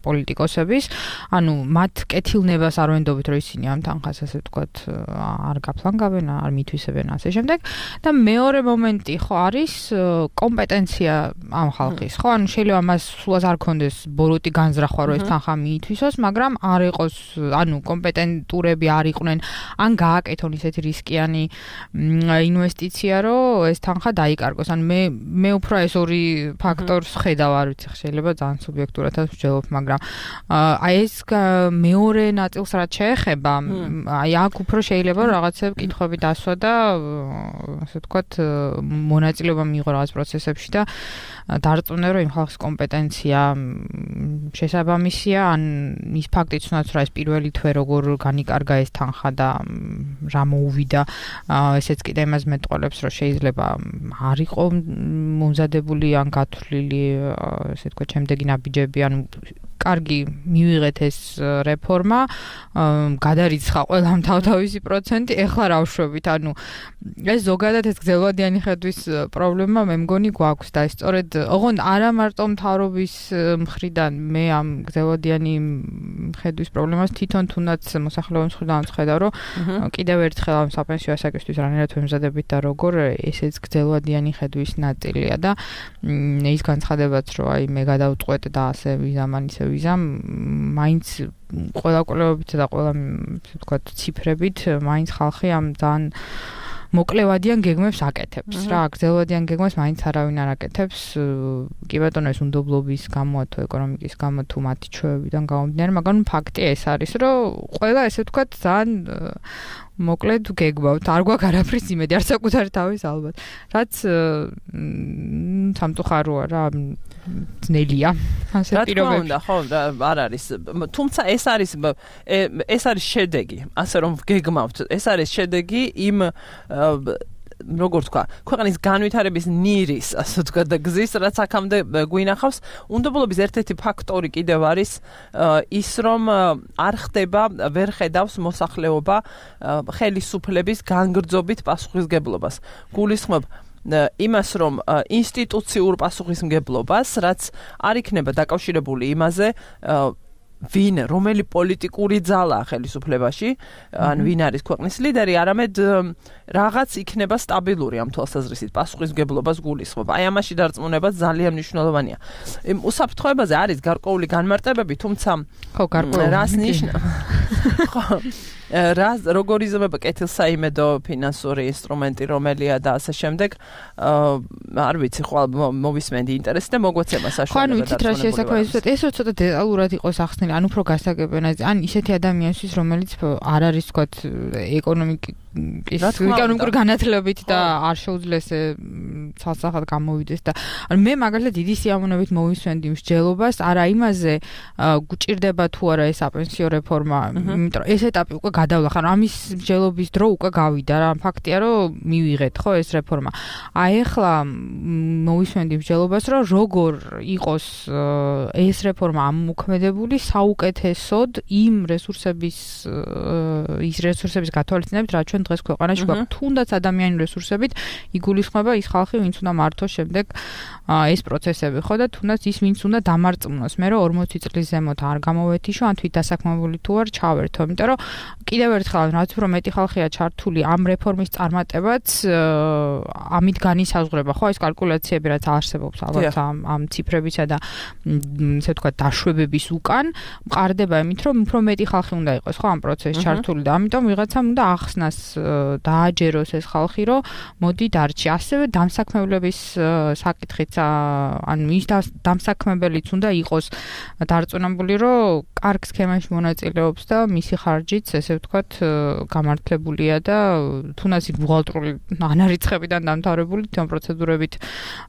პოლიტიკოსების, ანუ მათ კეთილნებას არ ვენდობით, რომ ისინი ამ თანხას, ესე ვთქვათ, არ გაფლანგავენ, არ მითვისებენ ასე შემდეგ. და მეორე მომენტი ხო არის კომპეტენცია ამ ხალხის, ხო? ანუ შეიძლება მას სულაც არ ქონდეს ბოროტი განზრახვა, რომ ეს თანხა მიითვისოს, მაგრამ არ იყოს, ანუ კომპეტენტურები არ იყვნენ, ან გააკეთონ ისეთი რისკიანი ინვესტიცია, რომ ეს თანხა დაიკარგოს. ანუ მე მე უფრო ეს ორი ფაქტორს ხედავ, არ ვიცი, შეიძლება ძალიან სუბიექტურადაც ვჯელობ, მაგრამ აი ეს მეორე ნაწილს რაც შეეხება, აი აქ უფრო შეიძლება რაღაცები კითხვები დასვა და ასე ვთქვათ, მონაწილეობა მიიღო რაღაც პროცესებში და დარწმუნე, რომ იმ ხალხის კომპეტენცია შესაბამისია, ან ის ფაქტიც უნდათ, რომ ეს პირველი თვე როგორ განიკარგა ეს თანხა და რა მოუვიდა, ესეც კიდე იმას მეტყოლებს, რომ შეიძლება არ იყო მომზადებული ან გათვლილი, ესე ვთქვათ, შემდეგი ნაბიჯები, ანუ კარგი მივიღეთ ეს რეფორმა, გადარიცხა ყველამ თავთავისი პროცენტი, ეხლა რა ვშვებით, ანუ ეს ზოგადად ეს გრძელვადიანი ხედვის პრობლემა მე მგონი გვაქვს და ეს სწორედ ოღონდ არა მარტო მთავრობის მხრიდან მე ამ გრძელვადიანი ხედვის პრობლემას თვითონ თუნდაც მოსახლეობის მხრიდან ვხედავ, რომ კიდევ ერთხელ ამ საპენსიო ასაკისთვის რანაირად ვემზადებით და როგორ ესეც გრძელვადიანი ხედვის ნაწილია და ის განცხადებაც, რომ აი მე გადავწყვეტ და ასე ვიზამ ისე ვიზამ, მაინც ყველა კვლევებით და ყველა ასე ვთქვათ ციფრებით, მაინც ხალხი ამ ძალიან მოკლევადიან გეგმებს აკეთებს რა, გრძელვადიან გეგმებს მაინც არავინ არ აკეთებს. კი ბატონო, ეს უნდობლობის გამო თუ ეკონომიკის გამო თუ მათი ჩვევებიდან გამომდინარე, მაგრამ ფაქტი ეს არის, რომ ყველა ესე ვთქვათ ძალიან მოკლედ გეგმავთ, არ გვაქვს არაფრის იმედი, არ საკუთარი თავის ალბათ. რაც სამწუხაროა რა, ძნელია ასე პირობებში. რა თქმა უნდა, ხო, არ არის. თუმცა ეს არის ეს არის შედეგი, ასე რომ გეგმავთ. ეს არის შედეგი იმ როგორ თქვა, ქვეყნის განვითარების ნირის, ასე ვთქვათ, და გზის, რაც აქამდე გვინახავს. უნდობლობის ერთ-ერთი ფაქტორი კიდევ არის ის, რომ არ ხდება, ვერ ხედავს მოსახლეობა ხელისუფლების განგრძობით პასუხისგებლობას. გულისხმობ იმას, რომ ინსტიტუციურ პასუხისმგებლობას, რაც არ იქნება დაკავშირებული იმაზე, ვინ, რომელი პოლიტიკური ძალა ხელისუფლებაში, ან ვინ არის ქვეყნის ლიდერი, არამედ რაღაც იქნება სტაბილური ამ თვალსაზრისით, პასუხისმგებლობას გულისხმობ. აი ამაში დარწმუნება ძალიან მნიშვნელოვანია. უსაფრთხოებაზე არის გარკვეული განმარტებები, თუმცა ხო, გარკვეული რას ნიშნავს? ხო, რა როგორ იზრდება კეთილსაიმედო ფინანსური ინსტრუმენტი, რომელია და ასე შემდეგ, არ ვიცი, ხვალ მოვისმენდი ინტერესი და მოგვეცემა საშუალება. ხო, ანუ ვიცით რა შესაძლოა, ეს ცოტა დეტალურად იყოს ახსნილი, ან უფრო გასაგებია, ან ისეთი ადამიანისთვის, რომელიც არ არის, ვთქვათ, ეკონომიკის ეკონომიკური განათლებით და არ შეუძლეს ცალსახად გამოვიდეს და ანუ მე მაგალითად დიდი სიამოვნებით მოვისმენდი მსჯელობას, არა იმაზე გვჭირდება თუ არა ეს საპენსიო რეფორმა, იმიტომ რომ ეს ეტაპი უკვე გადავლა, ხან ამის მსჯელობის დრო უკვე გავიდა რა, ფაქტია რომ მივიღეთ ხო ეს რეფორმა. აი ახლა მოვისმენდი მსჯელობას, რომ როგორ იყოს ეს რეფორმა ამოქმედებული საუკეთესოდ იმ რესურსების ის რესურსების გათვალისწინებით, რაც ჩვენ დღეს ქვეყანაში გვაქვს, თუნდაც ადამიანური რესურსებით იგულისხმება ის ხალხი, ვინც უნდა მართოს შემდეგ ეს პროცესები, ხო და თუნდაც ის, ვინც უნდა დამარწმუნოს. მე რომ ორმოცი წლის ზემოთ არ გამოვეთიშო, ან თვით დასაქმებული თუ არ ჩავერთო, იმიტომ რომ კიდევ ერთხელ რაც უფრო მეტი ხალხია ჩართული ამ რეფორმის წარმატებაც, ამით განისაზღვრება, ხო, ეს კალკულაციები რაც არსებობს ალბათ ამ ამ ციფრებისა და ესე ვთქვათ დაშვებების უკან, მყარდება იმით, რომ უფრო მეტი ხალხი უნდა იყოს, ხო, ამ პროცესში ჩართული და ამიტომ ვიღაცამ უნდა ახსნას დააჯეროს ეს ხალხი, რომ მოდი დარჩი. ასევე დამსაქმებლების საკითხიც, ანუ ის დამსაქმებელიც უნდა იყოს დარწმუნებული, რომ კარგ სქემაში მონაწილეობს და მისი ხარჯიც, ესე ვთქვათ, გამართლებულია და თუნდაც ბუღალტრული ანარიცხებიდან დამთავრებული თვითონ პროცედურებით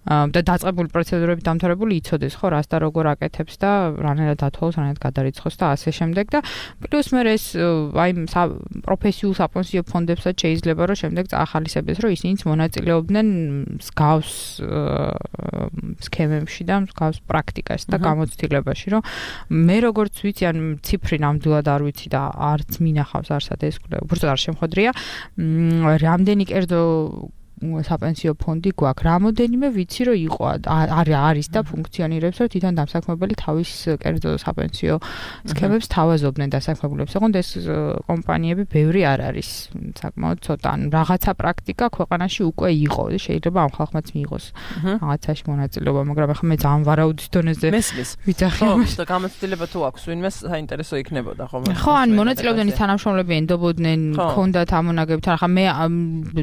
და დაწყებული პროცედურებით დამთავრებული იცოდეს, ხო, რას და როგორ აკეთებს და რანაირად ათვალოს, რანაირად გადარიცხოს და ასე შემდეგ და პლუს მე ეს აი პროფესიულ საპენსიო ფონდებსაც შეიძლება რომ შემდეგ წაახალისებდეს, რომ ისინიც მონაწილეობდნენ მსგავს სქემებში და მსგავს პრაქტიკაში და გამოცდილებაში, რომ მე როგორც ვიცი, ან ციფრი ნამდვილად არ ვიცი და არც მინახავს არსად ეს უბრალოდ არ შემხოდრია, რამდენი კერძო საპენსიო ფონდი გვაქვს. რამოდენიმე ვიცი რომ იყო არის და ფუნქციონირებს, რომ თვითონ დამსაქმებელი თავის კერძო საპენსიო სქემებს თავაზობდნენ დასაქმებულებს. ოღონდ ეს კომპანიები ბევრი არ არის. საკმაოდ ცოტა. ანუ რაღაცა პრაქტიკა ქვეყანაში უკვე იყო. შეიძლება ამ ხალხმაც მიიღოს რაღაცაში მონაწილეობა, მაგრამ ახლა მე ძალიან ვარაუდის დონეზე ვიცახი. ხო, და გამოცდილება თუ აქვს ვინმეს საინტერესო იქნებოდა ხოლმე. ხო, ან მონაწილეობდნენ ის თანამშრომლები ენდობოდნენ, ქონდათ ამონაგებთან. ახლა მე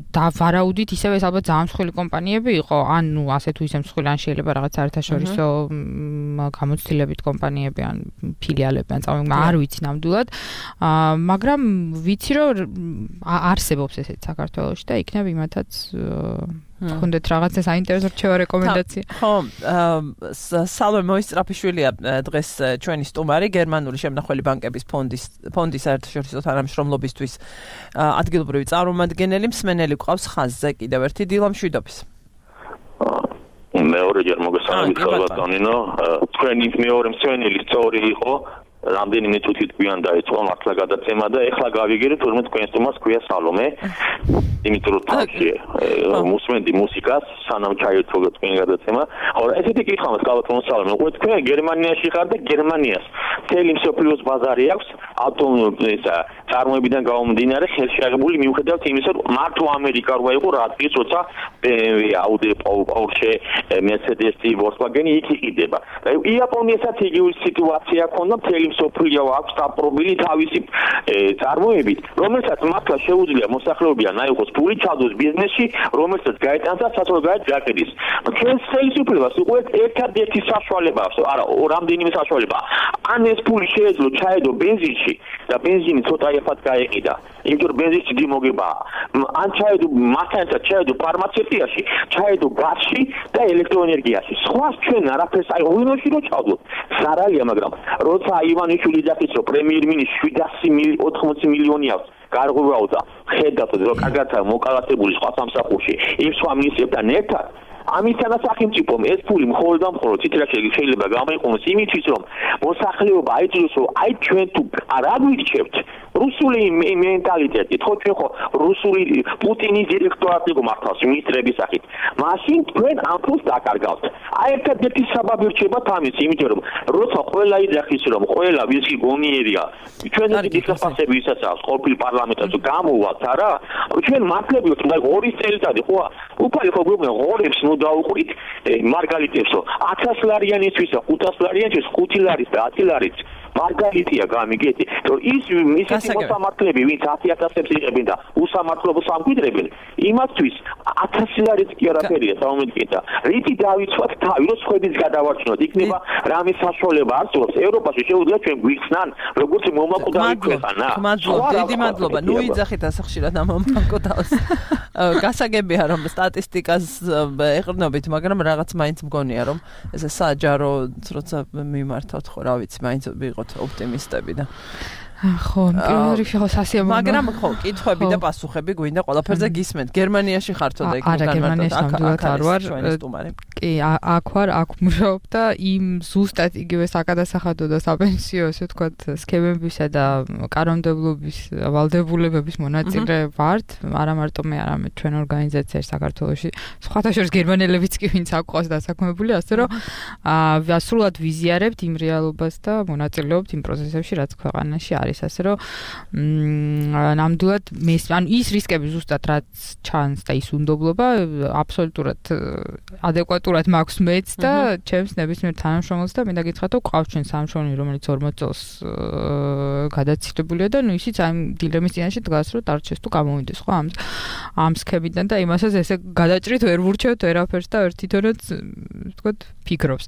და ვარაუდით ისევ ეს ალბათ ძალიან მსხვილი კომპანიები იყო, ან ნუ ასე თუ ისე მსხვილი, ან შეიძლება რაღაც საერთაშორისო გამოცდილებით კომპანიები, ან ფილიალები, ან წამო, არ ვიცი ნამდვილად. მაგრამ ვიცი რომ არსებობს ესეც საქართველოში და იქნებ იმათაც ხონდეთ რაღაცა საინტერესო რჩევა რეკომენდაცია. ხო, სალვე მოისწრაფიშვილია დღეს ჩვენი სტუმარი, გერმანული შემნახველი ბანკების ფონდის ფონდის საერთაშორისო თანამშრომლობისთვის ადგილობრივი წარმომადგენელი, მსმენელი გვყავს ხაზზე კიდევ ერთი დილა მშვიდობის. მეორეჯერ მოგესალმებით ბატონინო, თქვენი მეორე მსმენელი სწორი იყო. რამდენიმე თვით გვიან დაიწყო მართლა გადაცემა და ეხლა გავიგერეთ თურმე თქვენ სტუმარს ქვია სალომე. იმიტომ რომ თავში მუსმენდი მუსიკას სანამ ჩაირთო თქვენი გადაცემა. ხო, ესეთი კითხვა მაქვს გაბატონო სალომე. უკვე თქვენ გერმანიაში ხარ და გერმანიას მთელი მსოფლიოს ბაზარი აქვს ავტომობილის წარმოებიდან გამომდინარე ხელშეაღებული მიუხედავად იმისა, რომ მარტო ამერიკა როა იყო რადგან როცა ბე ემ ვე, აუდი, პორშე, მერსედესი, ვოლკსვაგენი იქ იყიდება. და იაპონიასაც იგივე სიტუაცია ქონდა მთელი სოფლიო აქვს დაპყრობილი თავისი წარმოებით, რომელსაც მართლა შეუძლია მოსახლეობიდან აიღოს ფული ჩადოს ბიზნესში, რომელსაც გაეტანს საცხოვრებლად გაყიდის. ჩვენ ხელისუფლებას უკვე ერთადერთი საშუალება აქვს, არა, რამდენიმე საშუალება. ან ეს ფული შეეძლო ჩაედო ბენზინში და ბენზინი ცოტა ეხად გაეყიდა. იმიტომ რომ ბენზინი დიდი მოგებაა. ან ჩაედო მასთან ჩაედო ფარმაცევტიაში, ჩაედო გაზში და ელექტროენერგიაში. სხვა ჩვენ არაფერს აი ღვინოში რო ჩავდოთ. სარალია, მაგრამ როცა ივანიშვილი დახის რომ პრემიერ-მინისტრი შვიდასი ოთხმოცი მილიონი აქვს გარღვევაო და ხედავთ რომ კარგადაა მოკალათებული სხვა სამსახურში იმ სხვა მინისტრებთან ერთად ამისთანაც სახელმწიფომ ეს ფული მხოლოდ და მხოლოდ ციტრაში შეიძლება გამოიყენოს იმისთვის რომ მოსახლეობა აიძულოს რომ აი ჩვენ თუ არ გვირჩევთ რუსული მენტალიტეტი ხო ჩვენ ხო რუსული პუტინის დირექტორატი გმართავს მინისტრების სახით მაშინ თქვენ ამ ფულს დაკარგავთ აი ერთადერთი საბაბი რჩება ამის იმიტომ რომ როცა ყველა იძახის რომ ყველა ვისი გონიერია ჩვენ დიდი საფასები ისაც აქვს ყოფილი პარლამენტში გამოვალთ არა ჩვენ მართლებიოთ და ორი წელიწადი ხო უფალი ხო გვიყვნენ ღორებს ნუ დაუყრით მარგალიტებსო ათას ლარიანისთვის და ხუთას ლარიანისთვის ხუთი ლარის და ათი ლარიც მარგალიტია გამიგეთი რომ ის ისეთი მოსამართლეები ვინც ათი ათასებს იღებენ და უსამართლობას ამკვიდრებენ იმათთვის ათასი ლარიც კი არაფერია საომედკი და რითი დავიცვათ თავი რომ სხვების გადავარჩინოთ იქნება რამე საშუალება არსებობს ევროპაში შეუძლია ჩვენ გვიხსნან როგორც მომაკვდავი ქვეყანა მადლობა დიდი მადლობა ნუ იძახით ასახშირად ამ მომაკვდავს გასაგებია რომ სტატისტიკას ეყრდნობით მაგრამ რაღაც მაინც მგონია რომ ესე საჯარო როცა მიმართავთ ხო რა ვიცი მაინც ვიყოთ ოპტიმისტები და ხო, პირველ რიგში ხო სასიამოვნო. მაგრამ ხო, კითხვები და პასუხები გვინდა ყველაფერზე გისმენთ. გერმანიაში ხართო და იქ არა, გერმანიაში ნამდვილად არ ვარ. კი, აქ ვარ, აქ მუშაობ და იმ ზუსტად იგივე საკადასახადო და საპენსიო, ესე ვთქვათ, სქემებისა და კანონმდებლობის ვალდებულებების მონაწილე ვართ. არა მარტო მე, არამედ ჩვენ ორგანიზაციაში საქართველოში. სხვათა შორის გერმანელებიც კი ვინც აქ ყავს დასაქმებული, ასე რომ აა სრულად ვიზიარებთ იმ რეალობას და მონაწილეობთ იმ პროცესებში, რაც ქვეყანაში არის. ასე რომ ნამდვილად მე ან ის რისკები ზუსტად რაც ჩანს და ის უნდობლობა აბსოლუტურად ადეკვატურად მაქვს მეც და ჩემს ნებისმიერ თანამშრომელს და მინდა გითხრათ რომ ყავს ჩვენ სამშრომელი რომელიც ორმოც წელს გადაცილებულია და ნუ ისიც ამ დილემის წინაშე დგას რომ დარჩეს თუ გამოვიდეს ხო ამ ამ სქემიდან და იმასაც ესე გადაჭრით ვერ ვურჩევთ ვერაფერს და ერთ თვითონაც ვთქვათ ფიქრობს.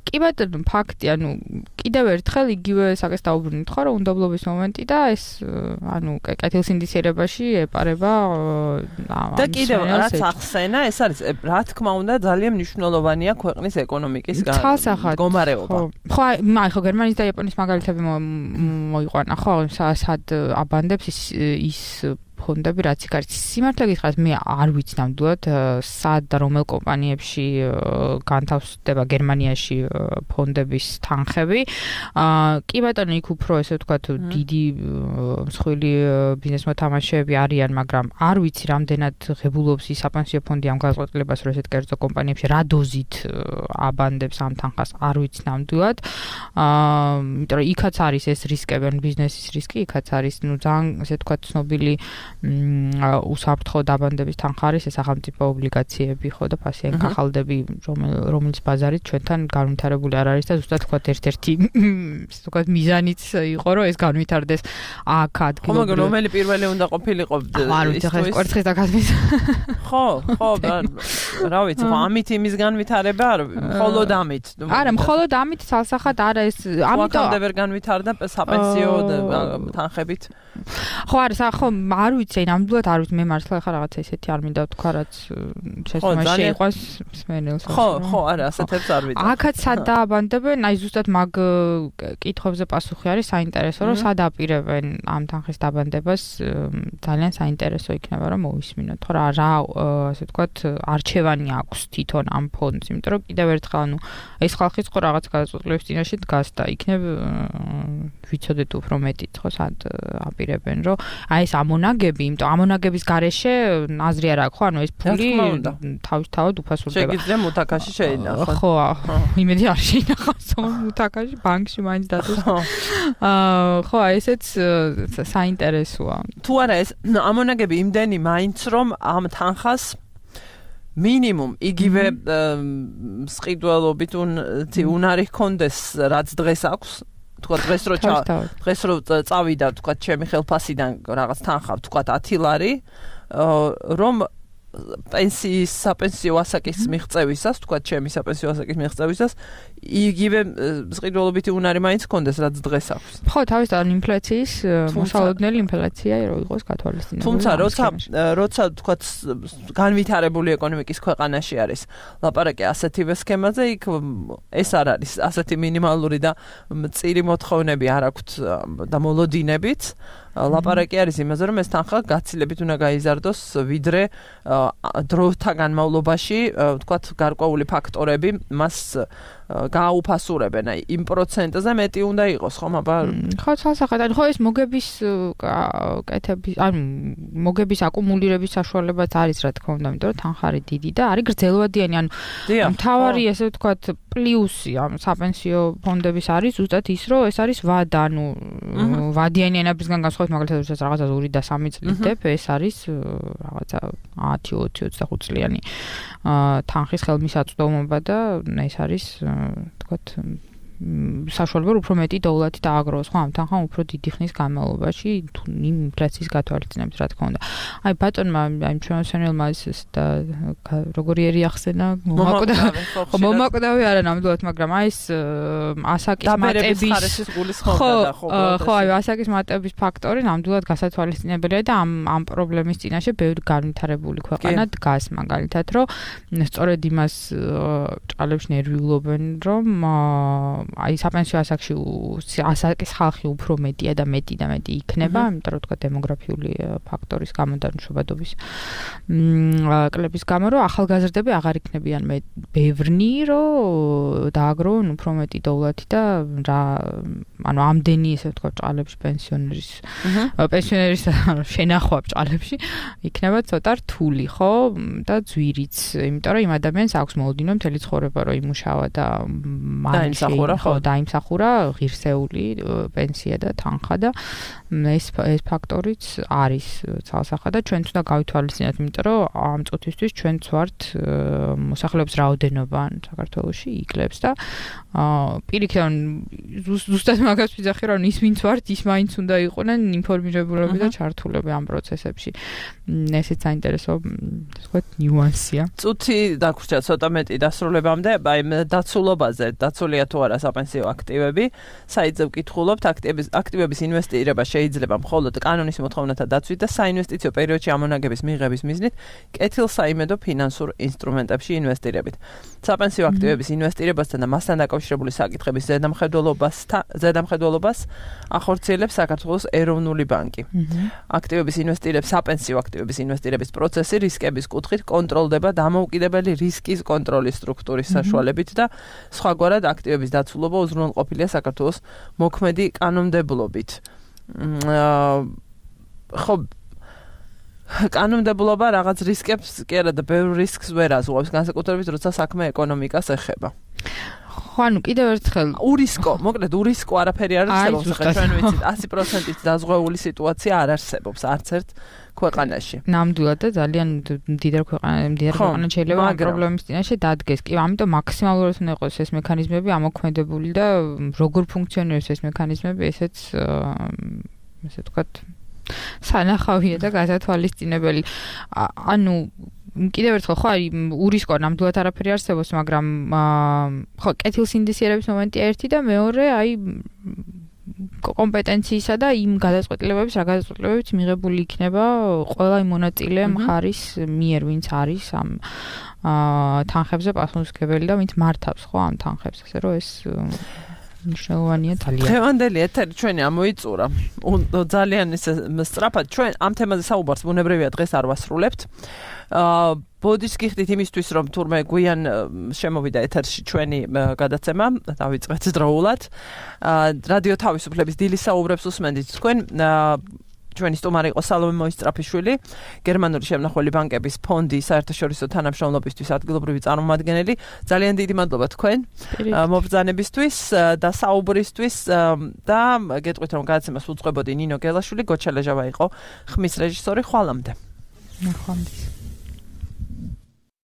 კი ბატონო ფაქტი ანუ კიდევ ერთხელ იგივე საკეს დაუბრუნდით ხო რომ უნდობლობის მომენტი და ეს ანუ კეთილსინდისიერებაში ეპარება და კიდევ რაც ახსენა ეს არის რა თქმა უნდა ძალიან მნიშვნელოვანია ქვეყნის ეკონომიკის მდგომარეობა. ხო აი ხო გერმანიის და იაპონიის მაგალითები მოიყვანა ხო სად აბანდებს ის ის ფონდები რაც იქ არის. Სიმართლე გითხრათ, მე არ ვიცი ნამდვილად სად და რომელ კომპანიებში განთავსდება გერმანიაში ფონდების თანხები. კი ბატონო, იქ უფრო ესე ვთქვათ, დიდი მსხვილი ბიზნეს მოთამაშეები არიან, მაგრამ არ ვიცი რამდენად ღებულობს ის საპენსიო ფონდი ამ გადაწყვეტილებას, რომ ესეთ კერძო კომპანიებში რა დოზით აბანდებს ამ თანხას, არ ვიცი ნამდვილად. აა, იმიტომ რომ იქაც არის ეს რისკები, ბიზნესის რისკი, იქაც არის, ну, ძალიან ესე ვთქვათ, ცნობილი უსაფრთხო დაბანდების თანხა არის ეს სახელმწიფო ობლიგაციები, ხო და ფასიანი კახალდები, რომელიც ბაზარით ჩვენთან განვითარებული არ არის და ზუსტად ვთქვათ, ერთ-ერთი ესე ვთქვათ, მიზანიც იყო, რომ ეს განვითარდეს აქ ადგილობრივ. ხო, მაგრამ რომელი პირველი უნდა ყოფილიყო არ ვიცი, ხა ეს კვერცხის და გაზმის. ხო, ხო, რა ვიცი, ხო, ამით იმის განვითარება არ მხოლოდ ამით. არა, მხოლოდ ამით სალსახად არა ეს, ამიტომ ამიტომ ვერ განვითარდა საპენსიო თანხებით. ხო, არა, ხო, არ ვიცი, ნამდვილად არ ვიცი, მე მართლა ხა რაღაცა ისეთი არ მინდა ვთქვა, რაც შესაძლოა შეიყვანს მსმენელს. ხო, ხო, არა, ასეთებს არ ვიცი. აქაც სად დააბანდებენ, აი ზუსტად მაგ კითხვებზე პასუხი არის საინტერესო, რომ სად აპირებენ ამ თანხის დაბანდებას, ძალიან საინტერესო იქნება რომ მოვისმინოთ, ხო რა, რა ასე ვთქვათ, არჩევანი აქვს თვითონ ამ ფონდს, იმიტომ რომ კიდევ ერთხელ, ანუ ეს ხალხიც ხო რაღაც გადაწყვეტილების წინაშე დგას და იქნებ ვიცოდეთ უფრო მეტიც, ხო, სად აპირებენ, რომ აი ეს ამონაგები, იმიტომ ამონაგების გარეშე აზრი არ აქვს, ხო, ანუ ეს ფული თავისთავად უფასურდება. შეგიძლია მუთაკაში შეინახოთ. ხო, იმედი არ შეინახავს მუთაკაში, ბანკში მაინც დადეს. აა, ხო, ესეც საინტერესოა. თუ არა ეს ამონაგები იმდენი მაინც რომ ამ თანხას მინიმუმ იგივე მსყიდველობით უნარი ჰქონდეს, რაც დღეს აქვს. თქვა დღეს რო დღეს რო წავიდა, თქვა ჩემი ხელფასიდან რაღაც თანხა, თქვა ათი ლარი, რომ პენსიის საპენსიო ასაკის მიღწევისას, თქვა ჩემი საპენსიო ასაკის მიღწევისას, იგივე მსყიდველობითი უნარი მაინც ჰქონდეს, რაც დღეს აქვს. ხო, თავისთავად ინფლაციის მოსალოდნელი ინფლაცია რო იყოს გათვალისწინებული. თუმცა როცა როცა თქვა განვითარებული ეკონომიკის ქვეყანაში არის ლაპარაკი ასეთივე სქემაზე, იქ ეს არ არის ასეთი მინიმალური და მწირი მოთხოვნები არ აქვთ და მოლოდინებით. ლაპარაკი არის იმაზე, რომ ეს თანხა გაცილებით უნდა გაიზარდოს, ვიდრე დროთა განმავლობაში, ვთქვათ, გარკვეული ფაქტორები მას გააუფასურებენ. აი, იმ პროცენტზე მეტი უნდა იყოს, ხომ, აბა? ხო, სასახად, ხო, ეს მოგების კეთების, ანუ მოგების აკუმულირების საშუალებაც არის, რა თქმა უნდა, იმიტომ რომ თანხა არის დიდი და არის გრძელვადიანი, ანუ მთავარი, ესე ვთქვათ, პლუსი ამ საპენსიო ფონდების არის ზუსტად ის, რომ ეს არის ვადა, ანუ ვადიანი ენებისგან განსხვავებით, მაგალითად, როდესაც რაღაცა ორი და სამი წლის დებ, ეს არის რაღაცა ათი, ოცი, ოცდახუთ წლიანი თანხის ხელმისაწვდომობა და ეს არის თქვათ საშუალება უფრო მეტი დოვლათი დააგროვოს, ხო, ამ თანხამ უფრო დიდი ხნის განმავლობაში იმ ინფლაციის გათვალისწინებით, რა თქმა უნდა. აი ბატონმა აი ჩვენოსენელმა ეს და როგორი ერი ახსენა, მომაკვდავი, ხო, მომაკვდავი არა ნამდვილად, მაგრამ აი ეს ასაკის მატების ხო, ხო, აი ასაკის მატების ფაქტორი ნამდვილად გასათვალისწინებელია და ამ ამ პრობლემის წინაშე ბევრი განვითარებული ქვეყანა დგას, მაგალითად, რომ სწორედ იმას ჭალებს ნერვიულობენ, რომ აი საპენსიო ასაკში ასაკის ხალხი უფრო მეტია და მეტი და მეტი იქნება, იმიტომ რომ თქვა დემოგრაფიული ფაქტორის გამო და მშობადობის კლების გამო, რომ ახალგაზრდები აღარ იქნებიან მე ბევრნი, რომ დააგროვონ უფრო მეტი დოვლათი და რა, ანუ ამდენი ესე ვთქვა ჭალებში პენსიონერის პენსიონერის შენახვა ჭალებში იქნება ცოტა რთული, ხო, და ძვირიც, იმიტომ რომ იმ ადამიანს აქვს მოლოდინო მთელი ცხოვრება რომ იმუშავა და დაიმსახურა, ხო, დაიმსახურა ღირსეული პენსია და თანხა და ეს ეს ფაქტორიც არის ცალსახად და ჩვენც უნდა გავითვალისწინოთ, იმიტომ რომ ამ წუთისთვის ჩვენც ვართ მოსახლეობის რაოდენობა საქართველოში იკლებს და პირიქით ზუსტად მაგას ვიძახი რომ ის ვინც ვართ ის მაინც უნდა იყვნენ ინფორმირებულები და ჩართულები ამ პროცესებში. ესეც საინტერესო ვთქვათ ნიუანსია. წუთი დაგვრჩა ცოტა მეტი დასრულებამდე, აი დაცულობაზე, დაცულია თუ არა საპენსიო აქტივები. საიტზე ვკითხულობთ, აქტივების აქტივების ინვესტირება შეიძლება მხოლოდ კანონის მოთხოვნათა დაცვით და საინვესტიციო პერიოდში ამონაგების მიღების მიზნით კეთილსაიმედო ფინანსურ ინსტრუმენტებში ინვესტირებით. საპენსიო აქტივების ინვესტირებასთან და მასთან დაკავშირებული საკითხების ზედამხედველობასთან ზედამხედველობას ახორციელებს საქართველოს ეროვნული ბანკი. აქტივების ინვესტირების საპენსიო აქტივების ინვესტირების პროცესი რისკების კუთხით კონტროლდება დამოუკიდებელი რისკის კონტროლის სტრუქტურის საშუალებით და სხვაგვარად აქტივების დაცულობა უზრუნველყოფილია საქართველოს მოქმედი კანონმდებლობით. ხო კანონმდებლობა რაღაც რისკებს კი არა და ბევრ რისკს ვერ აზღვევს, განსაკუთრებით როცა საქმე ეკონომიკას ეხება. ხო, ანუ კიდევ ერთხელ ურისკო, მოკლედ ურისკო არაფერი არ არსებობს, ხა ჩვენ ვიცით ათი პროცენტით დაზღვეული სიტუაცია არ არსებობს არც ერთ ქვეყანაში. ნამდვილად და ძალიან მდიდარ ქვეყანა, მდიდარ ქვეყანა შეიძლება ამ პრობლემის წინაშე დადგეს. კი, ამიტომ მაქსიმალურად უნდა იყოს ეს მექანიზმები ამოქმედებული და როგორ ფუნქციონირებს ეს მექანიზმები, ესეც ესე ვთქვათ სანახავია და გასათვალისწინებელი. ანუ კიდევ ერთხელ ხო არის ურისკო ნამდვილად არაფერი არსებობს, მაგრამ ხო კეთილსინდისიერების მომენტია ერთი და მეორე აი კომპეტენციისა და იმ გადაწყვეტილებების, რა გადაწყვეტილებებიც მიღებული იქნება ყველა იმ მონაწილე მხარის მიერ, ვინც არის ამ თანხებზე პასუხისმგებელი და ვინც მართავს ხო ამ თანხებს, ასე რომ ეს მნიშვნელოვანია ძალიან. დღევანდელი ეთერი ჩვენი ამოიწურა. ძალიან ისე სწრაფად ჩვენ ამ თემაზე საუბარს ბუნებრივია დღეს არ ვასრულებთ. აა ბოდიშ გიხდით იმისთვის რომ თურმე გვიან შემოვიდა ეთერში ჩვენი გადაცემა, დავიწყეთ დროულად. აა რადიო თავისუფლების დილის საუბრებს უსმენთ თქვენ. ჩვენი სტუმარი იყო სალომე მოისწრაფიშვილი, გერმანული შემნახველი ბანკების ფონდის საერთაშორისო თანამშრომლობისთვის ადგილობრივი წარმომადგენელი. ძალიან დიდი მადლობა თქვენ მობრძანებისთვის და საუბრისთვის და გეტყვით რომ გადაცემას უძღვებოდი ნინო გელაშვილი, გოჩა ლეჟავა იყო ხმის რეჟისორი. ხვალამდე. ნახვამდის.